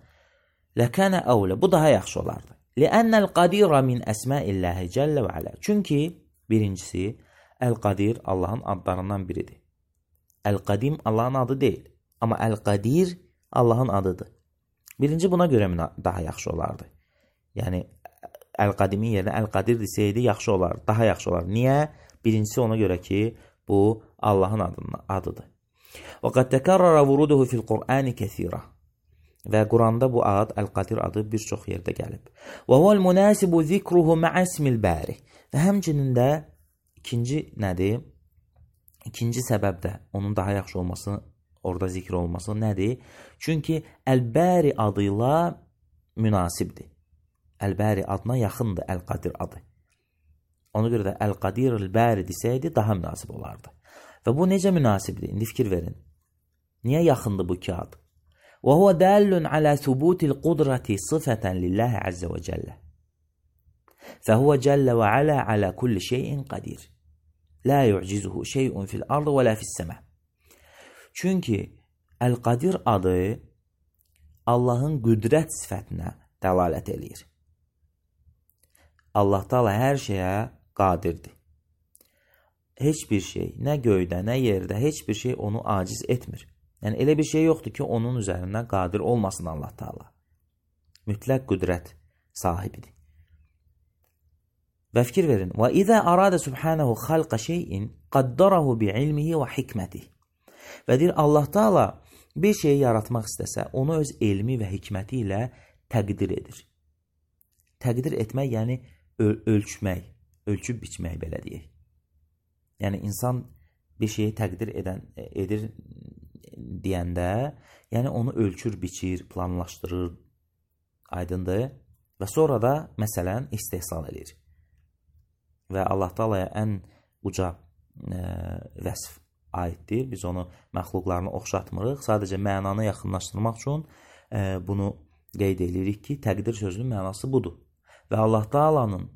[SPEAKER 1] ləkənə əvlə, bu daha yaxşı olardı. Ləənnəl qadirə min əsməilləhi cəllə və alə. Çünki, birincisi, Əl-Qadir Allahın adlarından biridir. Əl-Qadim Allahın adı deyil. Amma Əl-Qadir Allahın adıdır. Birinci buna görə daha yaxşı olardı. Yəni, Əl-Qadimin yerinə Əl-Qadir desəydi yaxşı olardı, daha yaxşı olardı. Niyə? Birincisi ona görə ki, bu Allahın adıdır. Və qəd təkərrərə vuruduhu fil-Qur'ani kəthirə. Və Quranda bu ad, Əl-Qadir adı bir çox yerdə gəlib. Və huvəl münasibu zikruhu mə'asmil bəri. Və həmçinin də ikinci nədir? İkinci səbəb də onun daha yaxşı olması, orada zikr olması nədir? Çünki Əl-Bəri adıyla münasibdir. Əl-Bəri adına yaxındır Əl-Qadir adı. Ona görə də Əl-Qadir Əl-Bəri desəydi daha münasib olardı. Və bu necə münasibdir? İndi fikir verin. Niyə yaxındır bu iki ad? وهو دال على ثبوت القدرة صفة لله عز وجل فهو جل وعلا على كل شيء قدير لا يعجزه شيء في الأرض ولا في السماء. Çünki Əl-Qadir adı Allahın qüdrət sifətinə dəlalət eləyir. Allah Taala hər şeyə qadirdir. Heç bir şey, nə göydə, nə yerdə, heç bir şey onu aciz etmir. Yəni, elə bir şey yoxdur ki, onun üzərindən qadir olmasın Allah Taala. Mütləq qüdrət sahibidir. Və fikir verin. Və izə aradə subhanahu xalqa şeyin qaddarahu bi'ilmihi və hikmətihi. Və deyir, Allah Taala bir şeyi yaratmaq istəsə, onu öz elmi və hikməti ilə təqdir edir. Təqdir etmək, yəni ölçmək, ölçüb biçmək belə deyək. Yəni, insan bir şeyi təqdir edir deyəndə, yəni onu ölçür, biçir, planlaşdırır, aydındır və sonra da, məsələn, istehsal edir. Və Allah Taalaya ən uca vəsf aiddir. Biz onu məxluqlarına oxşatmırıq. Sadəcə mənanı yaxınlaşdırmaq üçün bunu qeyd edirik ki, təqdir sözünün mənası budur. Və Allah Taalanın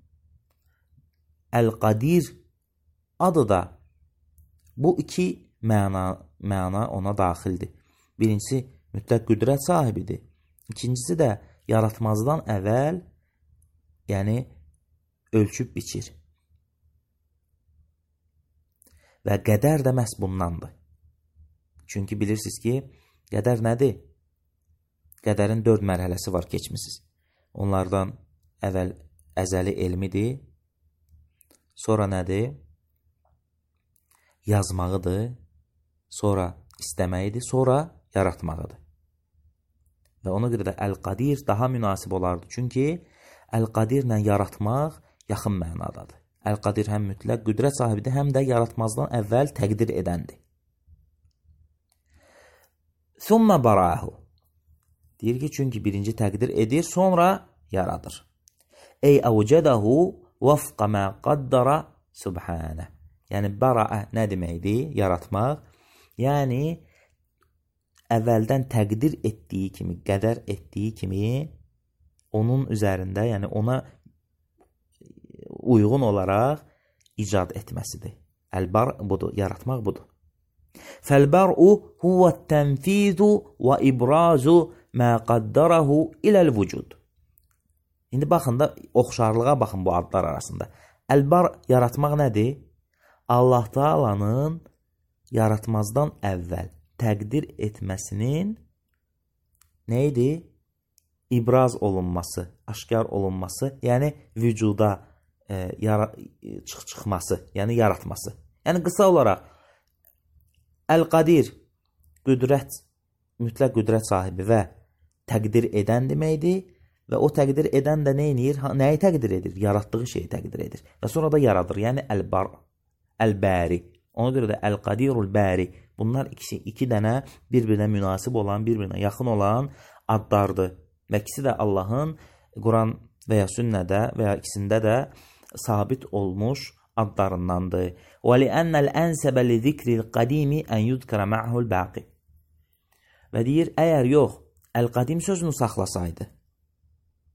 [SPEAKER 1] Əl-Qadir adı da bu iki məna ona daxildir. Birincisi, mütləq qüdrət sahibidir. İkincisi də yaratmazdan əvvəl, yəni ölçüb biçir. Və qədər də məhz bundandır. Çünki bilirsiniz ki, qədər nədir? Qədərin 4 mərhələsi var, keçmisiniz. Onlardan əvvəl əzəli elmidir. Sonra nədir? Yazmağıdır. Sonra istəməyidir, sonra yaratmağıdır. Və ona görə də Əl-Qadir daha münasib olardı. Çünki Əl-Qadirlə yaratmaq yaxın mənadadır. Əl-Qadir həm mütləq qüdrət sahibidir, həm də yaratmazdan əvvəl təqdir edəndir. Thumma barahu. Deyir ki, çünki birinci təqdir edir, sonra yaradır. Ey əvcədəhu vəfqa mə qaddara subhanə. Yəni, baraə nə deməkdir? Yaratmaq. Yəni, əvvəldən təqdir etdiyi kimi, qədər etdiyi kimi, onun üzərində, yəni ona uyğun olaraq icad etməsidir. Əl-bar budur, yaratmaq budur. Fəl-bar'u huvət-tənfizu və ibrazu mə qaddarahu iləl-vücud. İndi baxın da, oxşarlığa baxın bu adlar arasında. Əlbar yaratmaq nədir? Allah Taala'nın yaratmazdan əvvəl təqdir etməsinin nə idi? İbraz olunması, aşkar olunması, yəni vücuda çıxması, yəni yaratması. Yəni qısa olaraq Əl-Qadir qüdrət, mütləq qüdrət sahibi və təqdir edən deməkdir və o təqdir edən də nə edir? Nəyi təqdir edir? Yaratdığı şeyi təqdir edir və sonra da yaradır. Yəni Əl-Bar, Əl-Bəri. Ona görə də Əl-Qadirul Bəri. Bunlar iki dənə bir-birinə münasib olan, bir-birinə yaxın olan adlardır. Və ikisi də Allahın Quran və ya sünnədə və ya ikisində də sabit olmuş adlarındandır. وَلِأَنَّ الْأَنْسَبَ لِذِكْرِ الْقَدِيمِ أَنْ يُذْكَرَ مَعْهُ الْبَاقِ Və deyir, əgər yox, Əl-Qadim sözünü saxlasaydı.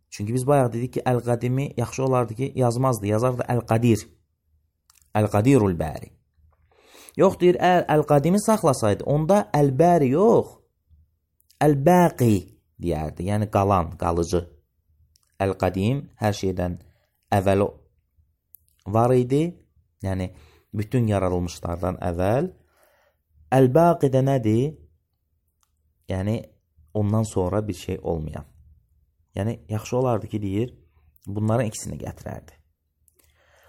[SPEAKER 1] Çünki biz bayaq dedik ki, Əl-Qadimi yaxşı olardı ki, yazmazdı, yazardı Əl-Qadir. Əl-Qadirul Bəri. Yox, deyir, əgər Əl-Qadimi saxlasaydı, onda Əl-Bəri yox, Əl-Bəqi deyərdi, yəni qalan, qalıcı. Əl-Qadim hər şeydən əvvəl var idi, yəni bütün yaradılmışlardan əvvəl. Əl-Bəqi də nədir? Yəni ondan sonra bir şey olmayan. Yəni yaxşı olardı ki, deyir, bunların ikisini gətirərdi.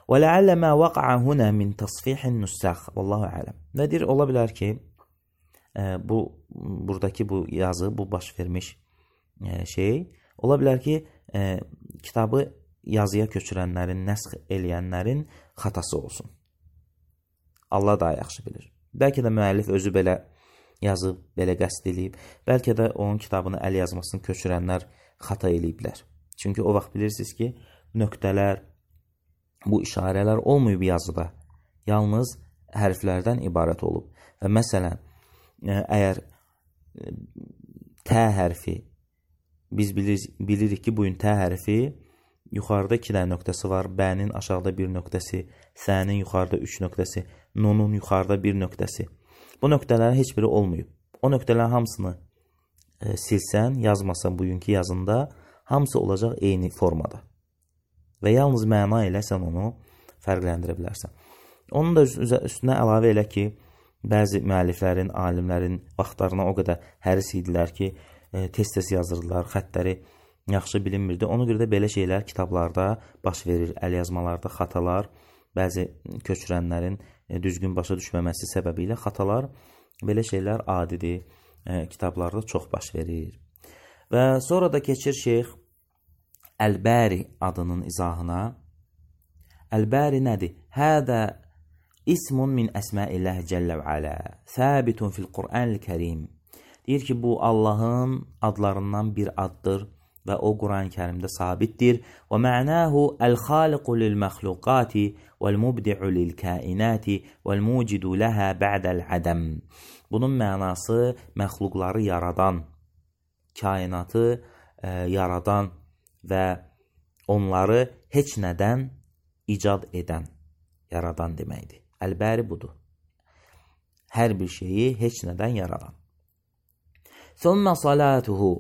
[SPEAKER 1] وَلَعَلَّ مَا وَقَعَ هُنَا مِنْ تَصْفِيحِ النُّسَّخ Vallahu ələm. Və deyir, ola bilər ki, buradakı bu yazı, bu baş vermiş şey, ola bilər ki, kitabı yazıya köçürənlərin, nəsx eləyənlərin xatası olsun. Allah daha yaxşı bilir. Bəlkə də müəllif özü belə yazıb, belə qəsd eləyib. Bəlkə də onun kitabını əl yazmasını köçürənlər xata eləyiblər. Çünki o vaxt bilirsiniz ki, nöqtələr, bu işarələr olmayıb yazıda. Yalnız hərflərdən ibarət olub. Və məsələn, əgər T hərfi, biz bilirik ki, bugün T hərfi yuxarıda 2 dənə nöqtəsi var, B-nin aşağıda 1 nöqtəsi, S-nin yuxarıda 3 nöqtəsi, N-un yuxarıda 1 nöqtəsi. Bu nöqtələrin heç biri olmayıb. O nöqtələrin hamısını silsən, yazmasan bugünkü yazında, hamısı olacaq eyni formada. Və yalnız məna ilə sən onu fərqləndirə bilərsən. Onun da üstünə əlavə elə ki, bəzi müəlliflərin, alimlərin vaxtlarına o qədər həris idilər ki, tez-tez yazırdılar, xəttləri yaxşı bilinmirdi. Ona görə də belə şeylər kitablarda baş verir, əl yazmalarda xatalar, bəzi köçürənlərin düzgün başa düşməməsi səbəbilə xatalar, belə şeylər adidir, kitablarda çox baş verir. Və sonra da keçir Şeyx Əl-Bəri adının izahına. Əl-Bəri nədir? Hədə ismun min əsməilləhi cəllə və alə, səbitun fil Qur'an-ül-Kərim. Deyir ki, bu Allahın adlarından bir addır və o Quran-ı Kərimdə sabitdir. Və mə'nahu əl-xaliqu lil-məxluqati vəl-mubdi'u lil-kainati vəl-mucidu ləhə bə'dəl-ədəm. Bunun mənası məxluqları yaradan, kainatı yaradan və onları heç nədən icad edən, yaradan deməkdir. Əl-Bəri budur. Hər bir şeyi heç nədən yaradan. Thumma salatuhu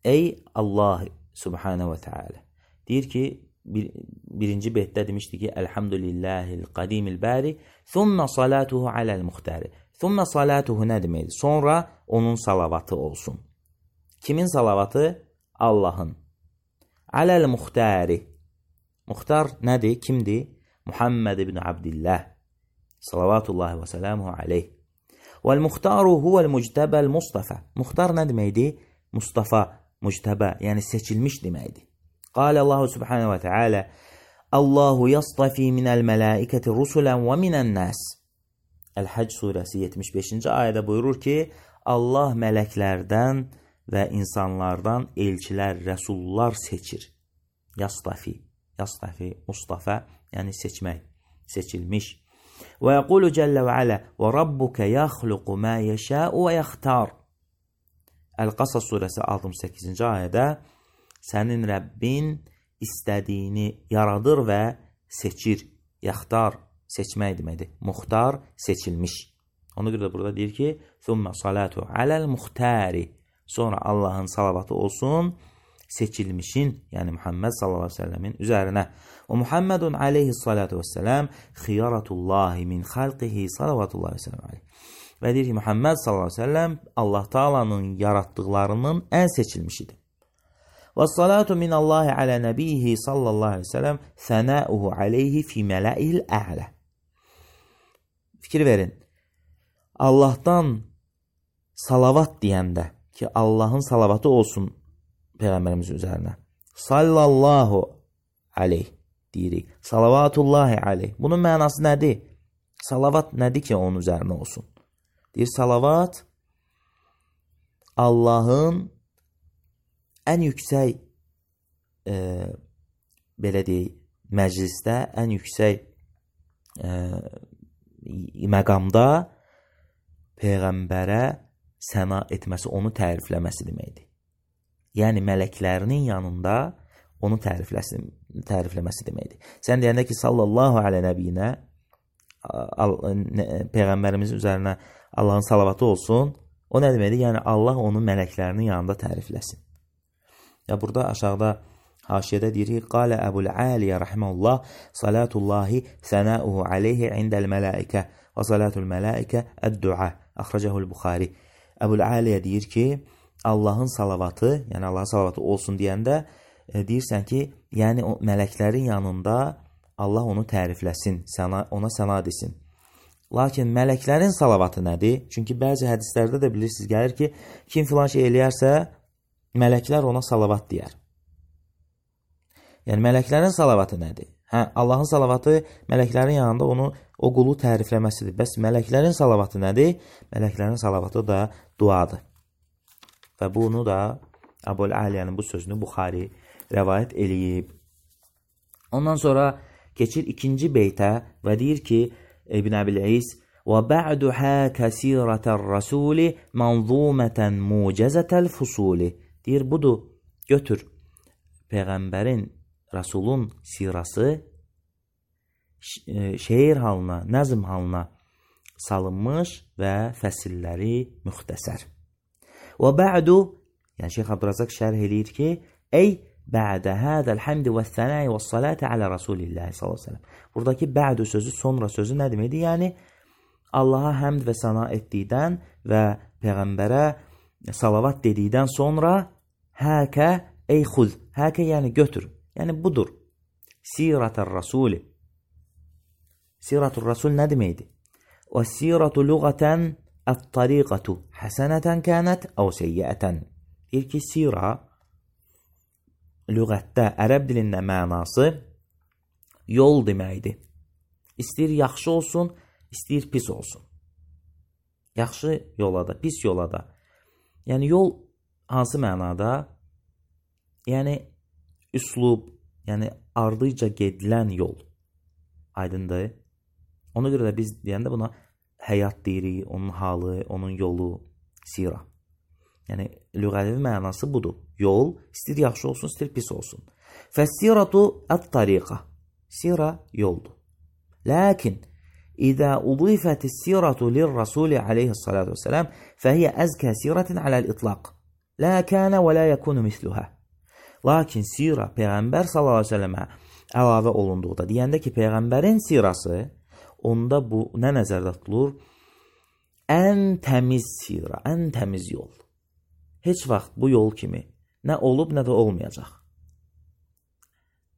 [SPEAKER 1] ey Allah subhanahu və teala. Deyir ki, birinci beytdə demişdi ki, Elhamdülillahil qadimil bəri, thumma salatuhu aləl-muxtari. Thumma salatuhu nə deməkdir? Sonra onun salavatı olsun. Kimin salavatı? Allahın. Aləl-muxtari. Muxtar nədir? Kimdir? Muhammed ibn Abdillah. Salavatullahi və sələmuhu aleyh. Vəl-muxtaru huvəl-muctəbəl-mustafa. Muxtar nə deməkdir? Mustafa, muctəbə, yəni seçilmiş deməkdir. Qalə Allahu subhanahu və teala Allahu yastafi minəl mələikəti rusulən və minən nəs. Əl-Həcc surəsi 75-ci ayədə buyurur ki, Allah mələklərdən və insanlardan elçilər, rəsullar seçir. Yastafi, Mustafa, yəni seçmək, seçilmiş. Və yəqulu cəllə və alə və rabbuka yaxluqu mə yəşəu və yaxtar. Əl-Qasas surəsi 68-ci ayədə sənin Rəbbin istədiyini yaradır və seçir. Yaxtar, seçmək deməkdir. Muxtar, seçilmiş. Ona görə də burada deyir ki, thumma salatu aləl-muxtari. Sonra Allahın salavatı olsun seçilmişin, yəni Muhammed sallallahu aleyhi ve sellemin üzərinə. Və Muhammedun aleyhissalatu vesselam xiyaratullahi min xalqihi salavatullahi ve sellem aleyh. Və deyir ki, Muhammed sallallahu aleyhi ve sellem Allah Taala'nın yarattıqlarının ən seçilmişidir. Və salatu minallahi alə nəbihi sallallahu aleyhi ve sellem sənəuhu aleyhi fi mələihil a'lə. Fikir verin. Allahdan salavat deyəndə ki, Allahın salavatı olsun Peyğəmbərimizin üzərinə. Sallallahu aleyh deyirik. Salavatullahi aleyh. Bunun mənası nədir? Salavat nədir ki, onun üzərinə olsun? Deyir, salavat Allahın ən yüksək belə deyək, məclisdə, ən yüksək məqamda Peyğəmbərə səna etməsi, onu tərifləməsi deməkdir. Yəni, mələklərinin yanında onu tərifləməsi deməkdir. Sən deyəndə ki, sallallahu alə nəbiyinə, Peyğəmbərimizin üzərinə Allahın salavatı olsun, o nə deməkdir? Yəni, Allah onu mələklərinin yanında tərifləsin. Ya, burada aşağıda haşiyədə deyir ki, qalə Əbul Aliyə rəhməlullah, salatullahi sənəuhu aleyhi indəl mələikə və salatul mələikə əd-du'a, əxrəcəhul Buxari. Əbul Aliyə deyir ki, Allahın salavatı, yəni Allahın salavatı olsun deyəndə deyirsən ki, yəni o mələklərin yanında Allah onu tərifləsin, ona səna desin. Lakin mələklərin salavatı nədir? Çünki bəzi hədislərdə də bilirsiniz, gəlir ki, kim filan şey eləyərsə, mələklər ona salavat deyər. Yəni, mələklərin salavatı nədir? Allahın salavatı mələklərin yanında onu, o qulu tərifləməsidir. Bəs mələklərin salavatı nədir? Mələklərin salavatı da duadır. Və bunu da Əbul Aliyənin bu sözünü Buxari rəvayət eləyib. Ondan sonra keçir ikinci beytə və deyir ki, İbn Əbil-İz və bə'du həkə sirətər rəsuli mənzumətən mucəzətəl fusuli. Deyir, budur, götür Peyğəmbərin, Rasulun sirası şeir halına, nəzm halına salınmış və fəsilləri müxtəsər. Və bə'du, yəni Şeyx Abdurazaq şərh eləyir ki, ey bə'də hədəl həmdi və sənəyi və salati alə Rasulillah sallallahu aleyhi ve sellem. Buradakı bə'du sözü, sonra sözü nə deməkdir? Yəni, Allaha həmd və səna etdikdən və Peyğəmbərə salavat dedikdən sonra həkə, ey xud, həkə yəni götür, yəni budur. Sirətər Rasuli. Sirətür Rasul nə deməkdir? Və sirətu lüğətən ət-tariqatu həsənətən kənət əv seyyətən. Deyir ki, sira lüğətdə, ərəb dilində mənası yol deməkdir. İstəyir yaxşı olsun, istəyir pis olsun. Yaxşı yola da, pis yola da. Yəni, yol hansı mənada? Yəni, üslub, yəni ardıca gedilən yol. Aydındır. Ona görə də biz deyəndə buna həyat deyirik, onun halı, onun yolu, sira. Yəni, lüğəvi mənası budur. Yol, istəyir yaxşı olsun, istəyir pis olsun. Fəssiratu ət-tariqa. Sira yoldur. Lakin, İzə udifətis siratu lir-rasuli aleyhissalatu vesselam fəhiyyə əzkə siratin aləl-itlaq. Lə kənə və lə yəkunu misluhə. Lakin sira Peyğəmbər sallallahu aleyhi ve sellemə əlavə olunduqda, deyəndə ki, Peyğəmbərin sirası, onda bu nə nəzərdə tutulur? Ən təmiz sira, ən təmiz yol. Heç vaxt bu yol kimi nə olub, nə də olmayacaq.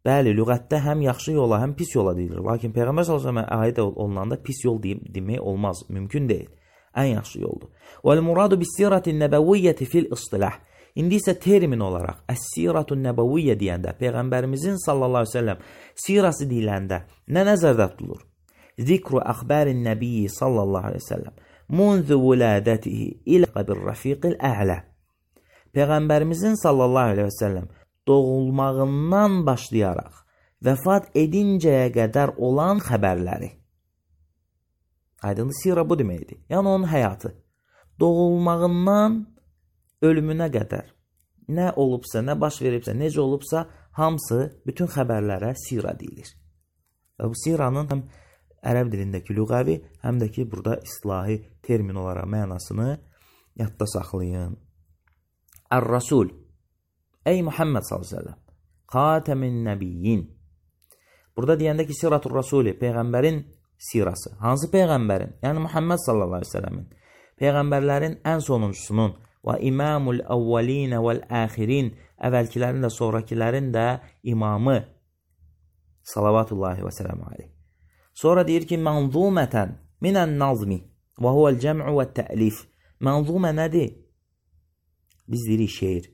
[SPEAKER 1] Bəli, lüğətdə həm yaxşı yola, həm pis yola deyilir. Lakin Peyğəmbər sallallahu əleyhi və səlləm aid olunanda pis yol demək olmaz, mümkün deyil. Ən yaxşı yoldur. Vəl muradu bis-siratin nəbəviyyəti fil-istilah. İndi isə termin olaraq əs-siratun nəbəviyyə deyəndə Peyğəmbərimizin sallallahu əleyhi və səlləm sirası deyiləndə nə nəzərdə tutulur? Zikru əxbərin nəbiyyi sallallahu əleyhi və səlləm munzu vulədətihi ilə bir-rəfiqil a'la. Peyğəmbərimizin sallallahu əleyhi və səlləm doğulmağından başlayaraq vəfat edincəyə qədər olan xəbərləri. Aydın, sira bu deməkdir. Yəni onun həyatı. Doğulmağından ölümünə qədər nə olubsa, nə baş veribsə, necə olubsa, hamısı, bütün xəbərlərə sira deyilir. Və bu siranın həm ərəb dilindəki lüğəvi, həm də ki, burada islahi termin olaraq mənasını yadda saxlayın. Ər-Rasul, Ey Muhammed sallallahu aleyhi ve sellem, xatemin nebiyyin. Burada deyəndə ki, siratul rasuli, peyğəmbərin sirası. Hansı peyğəmbərin? Yəni Muhammed sallallahu aleyhi ve sellemin. Peyğəmbərlərin ən sonuncusunun və imamul əvvəlinə vəl-əxirin, əvvəlkilərin də sonrakilərin də imamı salavatullahi və sələmu aleyh. Sonra deyir ki, mənzumətən minən nazmi və huvəl cəm'u və tə'lif. Mənzumə nədir? Biz deyirik şeir.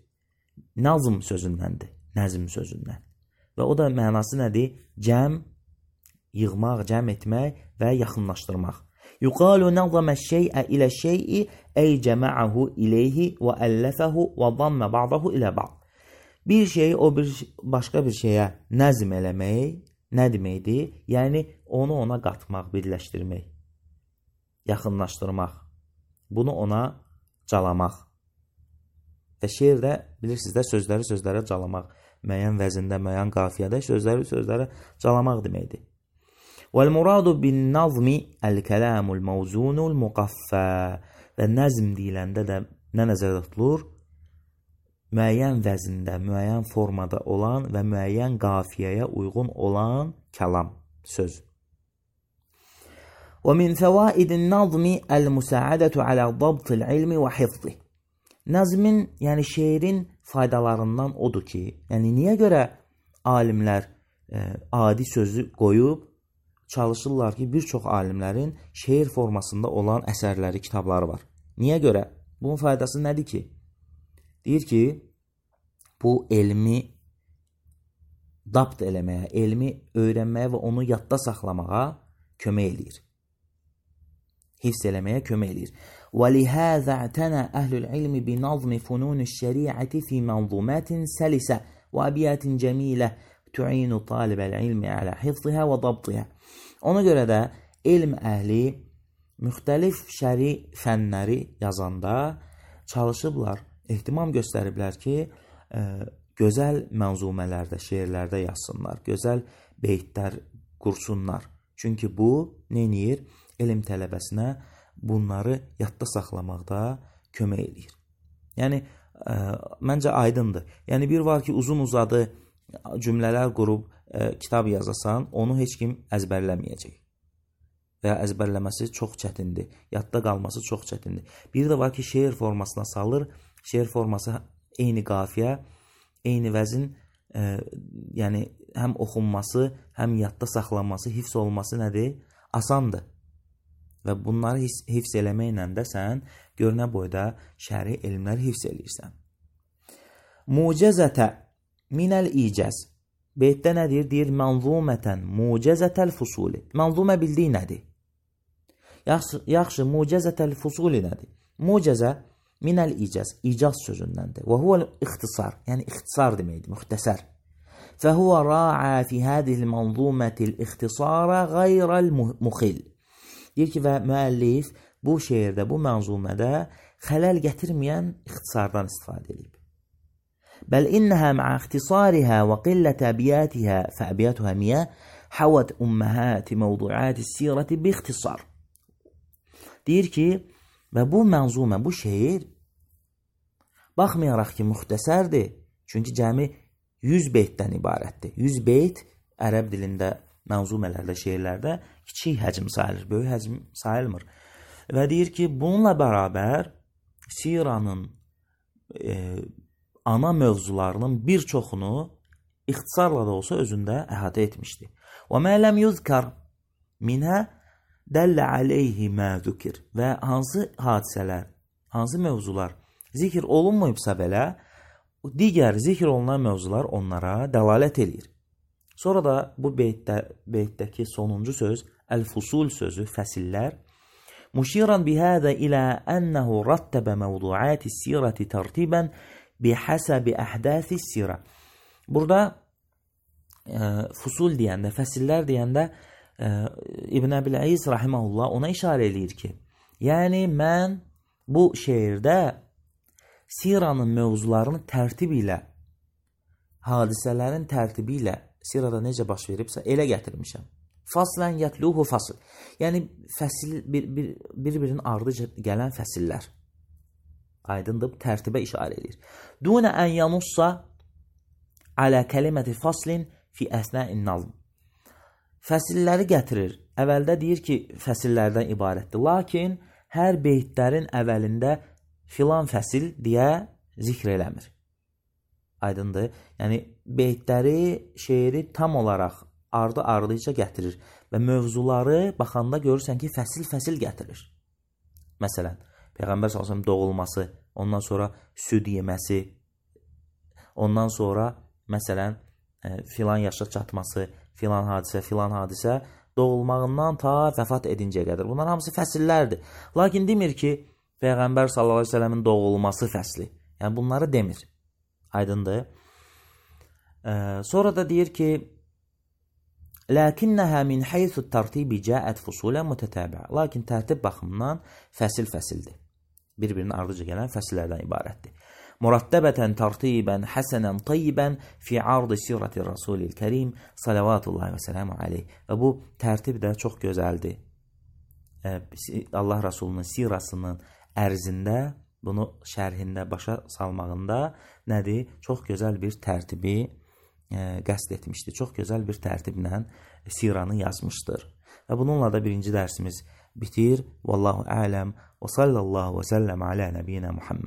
[SPEAKER 1] Nazm sözündəndir, nəzm sözündən. Və o da mənası nədir? Cəm, yığmaq, cəm etmək və yaxınlaşdırmaq. Yuqalu nazamə şey'ə ilə şey'i ey cəmə'əhu ileyhi və əlləfəhu və zammə ba'dahu ilə ba'd. Bir şeyi o başqa bir şeyə nəzm eləmək nə deməkdir? Yəni onu ona qatmaq, birləşdirmək, yaxınlaşdırmaq. Bunu ona calamaq. Və şeirdə bilirsiniz də sözləri calamaq, müəyyən vəzində, müəyyən qafiyədə sözləri calamaq deməkdir. Vəl-muradu bin-nazmi əl-kəlamul mavzunul muqaffə. Və nəzm deyiləndə də nə nəzərdə tutulur? Müəyyən vəzində, müəyyən formada olan və müəyyən qafiyəyə uyğun olan kəlam, söz. Və min fəvaidin nazmi əl-müsəadətu alə dabtil ilmi və hifzi. Nəzmin, yəni şeirin faydalarından odur ki, yəni niyə görə alimlər adi sözü qoyub çalışırlar ki, bir çox alimlərin şeir formasında olan əsərləri, kitabları var. Niyə görə? Bunun faydası nədir ki? Deyir ki, bu elmi dabt eləməyə, elmi öyrənməyə və onu yadda saxlamağa kömək eləyir. Hifz eləməyə kömək eləyir. وَلِهَذَا اعْتَنَى أَهْلُ الْعِلْمِ بِنَظْمِ فُنُونِ الشَّرِيعَةِ فِي مَنْظُومَاتٍ سَلِسَةٍ وَأَبْيَاتٍ جَمِيلَةٍ تُعِينُ طَالِبَ الْعِلْمِ عَلَى حِفْظِهَا وَضَبْطِهَا. Ona görə də elm əhli müxtəlif şəri fənləri yazanda çalışıblar, ehtimam göstəriblər ki, gözəl mənzumələrdə, şeirlərdə yazsınlar, gözəl beytlər qursunlar. Çünki bu neyir? Elm tələbəsinə bunları yadda saxlamaqda kömək eləyir. Yəni, məncə aydındır. Yəni, bir var ki, uzun-uzadı cümlələr qurub kitab yazasan, onu heç kim əzbərləməyəcək. Və ya əzbərləməsi çox çətindir. Yadda qalması çox çətindir. Bir də var ki, şeir formasına salır. Şeir forması eyni qafiyə, eyni vəzin, yəni həm oxunması, həm yadda saxlanması, hifz olması nədir? Asandır. Və bunları hifz eləməklə də sən görünə boyda şəri elmləri hifz eləyirsən. Mucəzətə minəl icəz. Beytdə nədir? Deyir, mənzumətən mucəzətəl fusuli. Mənzumə bildiyi nədir? Yaxşı, mucəzətəl fusuli nədir? Mucəzə minəl icəz, icaz sözündəndir. Və huvəl ixtisar, yəni ixtisar deməkdir, müxtəsər. Fəhuvə ra'a fi hədil mənzumətil ixtisara qayrəl muxil. Deyir ki, və müəllif bu şeirdə, bu mənzumədə xələl gətirməyən ixtisardan istifadə edib. Bəl innəhə mə'a ixtisarihə və qillət əbiyyətihə fəəbiyyətuhə miyə həvət ümməhəti məvduəti sirəti bi ixtisar. Deyir ki, və bu mənzumə, bu şeir baxmayaraq ki, müxtəsərdir, çünki cəmi 100 beytdən ibarətdir. 100 beyt ərəb dilində mənzumələrdə, şeirlərdə kiçik həcm sayılır, böyük həcm sayılmır. Və deyir ki, bununla bərabər siranın ana mövzularının bir çoxunu ixtisarla da olsa özündə əhatə etmişdir. Və mə ləm yuzkar minhə dəllə aleyhi mə zükir. Və hansı hadisələr, hansı mövzular zikr olunmayıbsa belə, digər zikr olunan mövzular onlara dəlalət edir. Sonra da bu beytdəki sonuncu söz, əl-fusul sözü, fəsillər. Muşiran bihədə ilə ənəhu rattəbə məvduəti sirəti tərtibən bihəsəbi əhdəsi sirə. Burada fusul deyəndə, fəsillər deyəndə İbn Əbil-Əziz rahiməhullah ona işarə eləyir ki, yəni mən bu şeirdə siranın mövzularını tərtib ilə, hadisələrin tərtibi ilə sirada necə baş veribsə, elə gətirmişəm. Faslən yətluhu fasl. Yəni, fəsil, bir-birinin ardıca gələn fəsillər. Aydındır, tərtibə işarə edir. Dunə ən yanussa alə kəliməti faslin fi əsnə'in nazm. Fəsilləri gətirir. Əvvəldə deyir ki, fəsillərdən ibarətdir. Lakin hər beytlərin əvvəlində filan fəsil deyə zikr eləmir. Aydındır. Yəni, beytləri, şeiri tam olaraq ardı-ardıca gətirir və mövzuları baxanda görürsən ki, fəsil-fəsil gətirir. Məsələn, Peyğəmbər s.ə.v doğulması, ondan sonra süd yeməsi, ondan sonra, məsələn, filan yaşa çatması, filan hadisə, doğulmağından ta vəfat edincəyə qədər. Bunlar hamısı fəsillərdir. Lakin demir ki, Peyğəmbər s.ə.v-in doğulması fəsli. Yəni, bunları demir. Aydındır. Sonra da deyir ki, Lakinnəha min haythu tərtibi cəət fusulə mütətəbə. Lakin tərtib baxımından fəsil-fəsildir. Bir-birinin ardıca gələn fəsillərdən ibarətdir. Murattəbətən tərtibən həsənən tayyibən fi ardı sirəti Rasulil Kərim salavatullahi və sələmu aleyh. Və bu tərtib də çox gözəldir. Allah Rasulunun sirasının ərzində, bunu şərhində, başa salmağında nədir? Çox gözəl bir tərtibi qəsd etmişdir. Çox gözəl bir tərtiblə siranı yazmışdır. Və bununla da birinci dərsimiz bitir. Vallahu ələm və sallallahu və səlləm alə nəbiyyina Muhammed.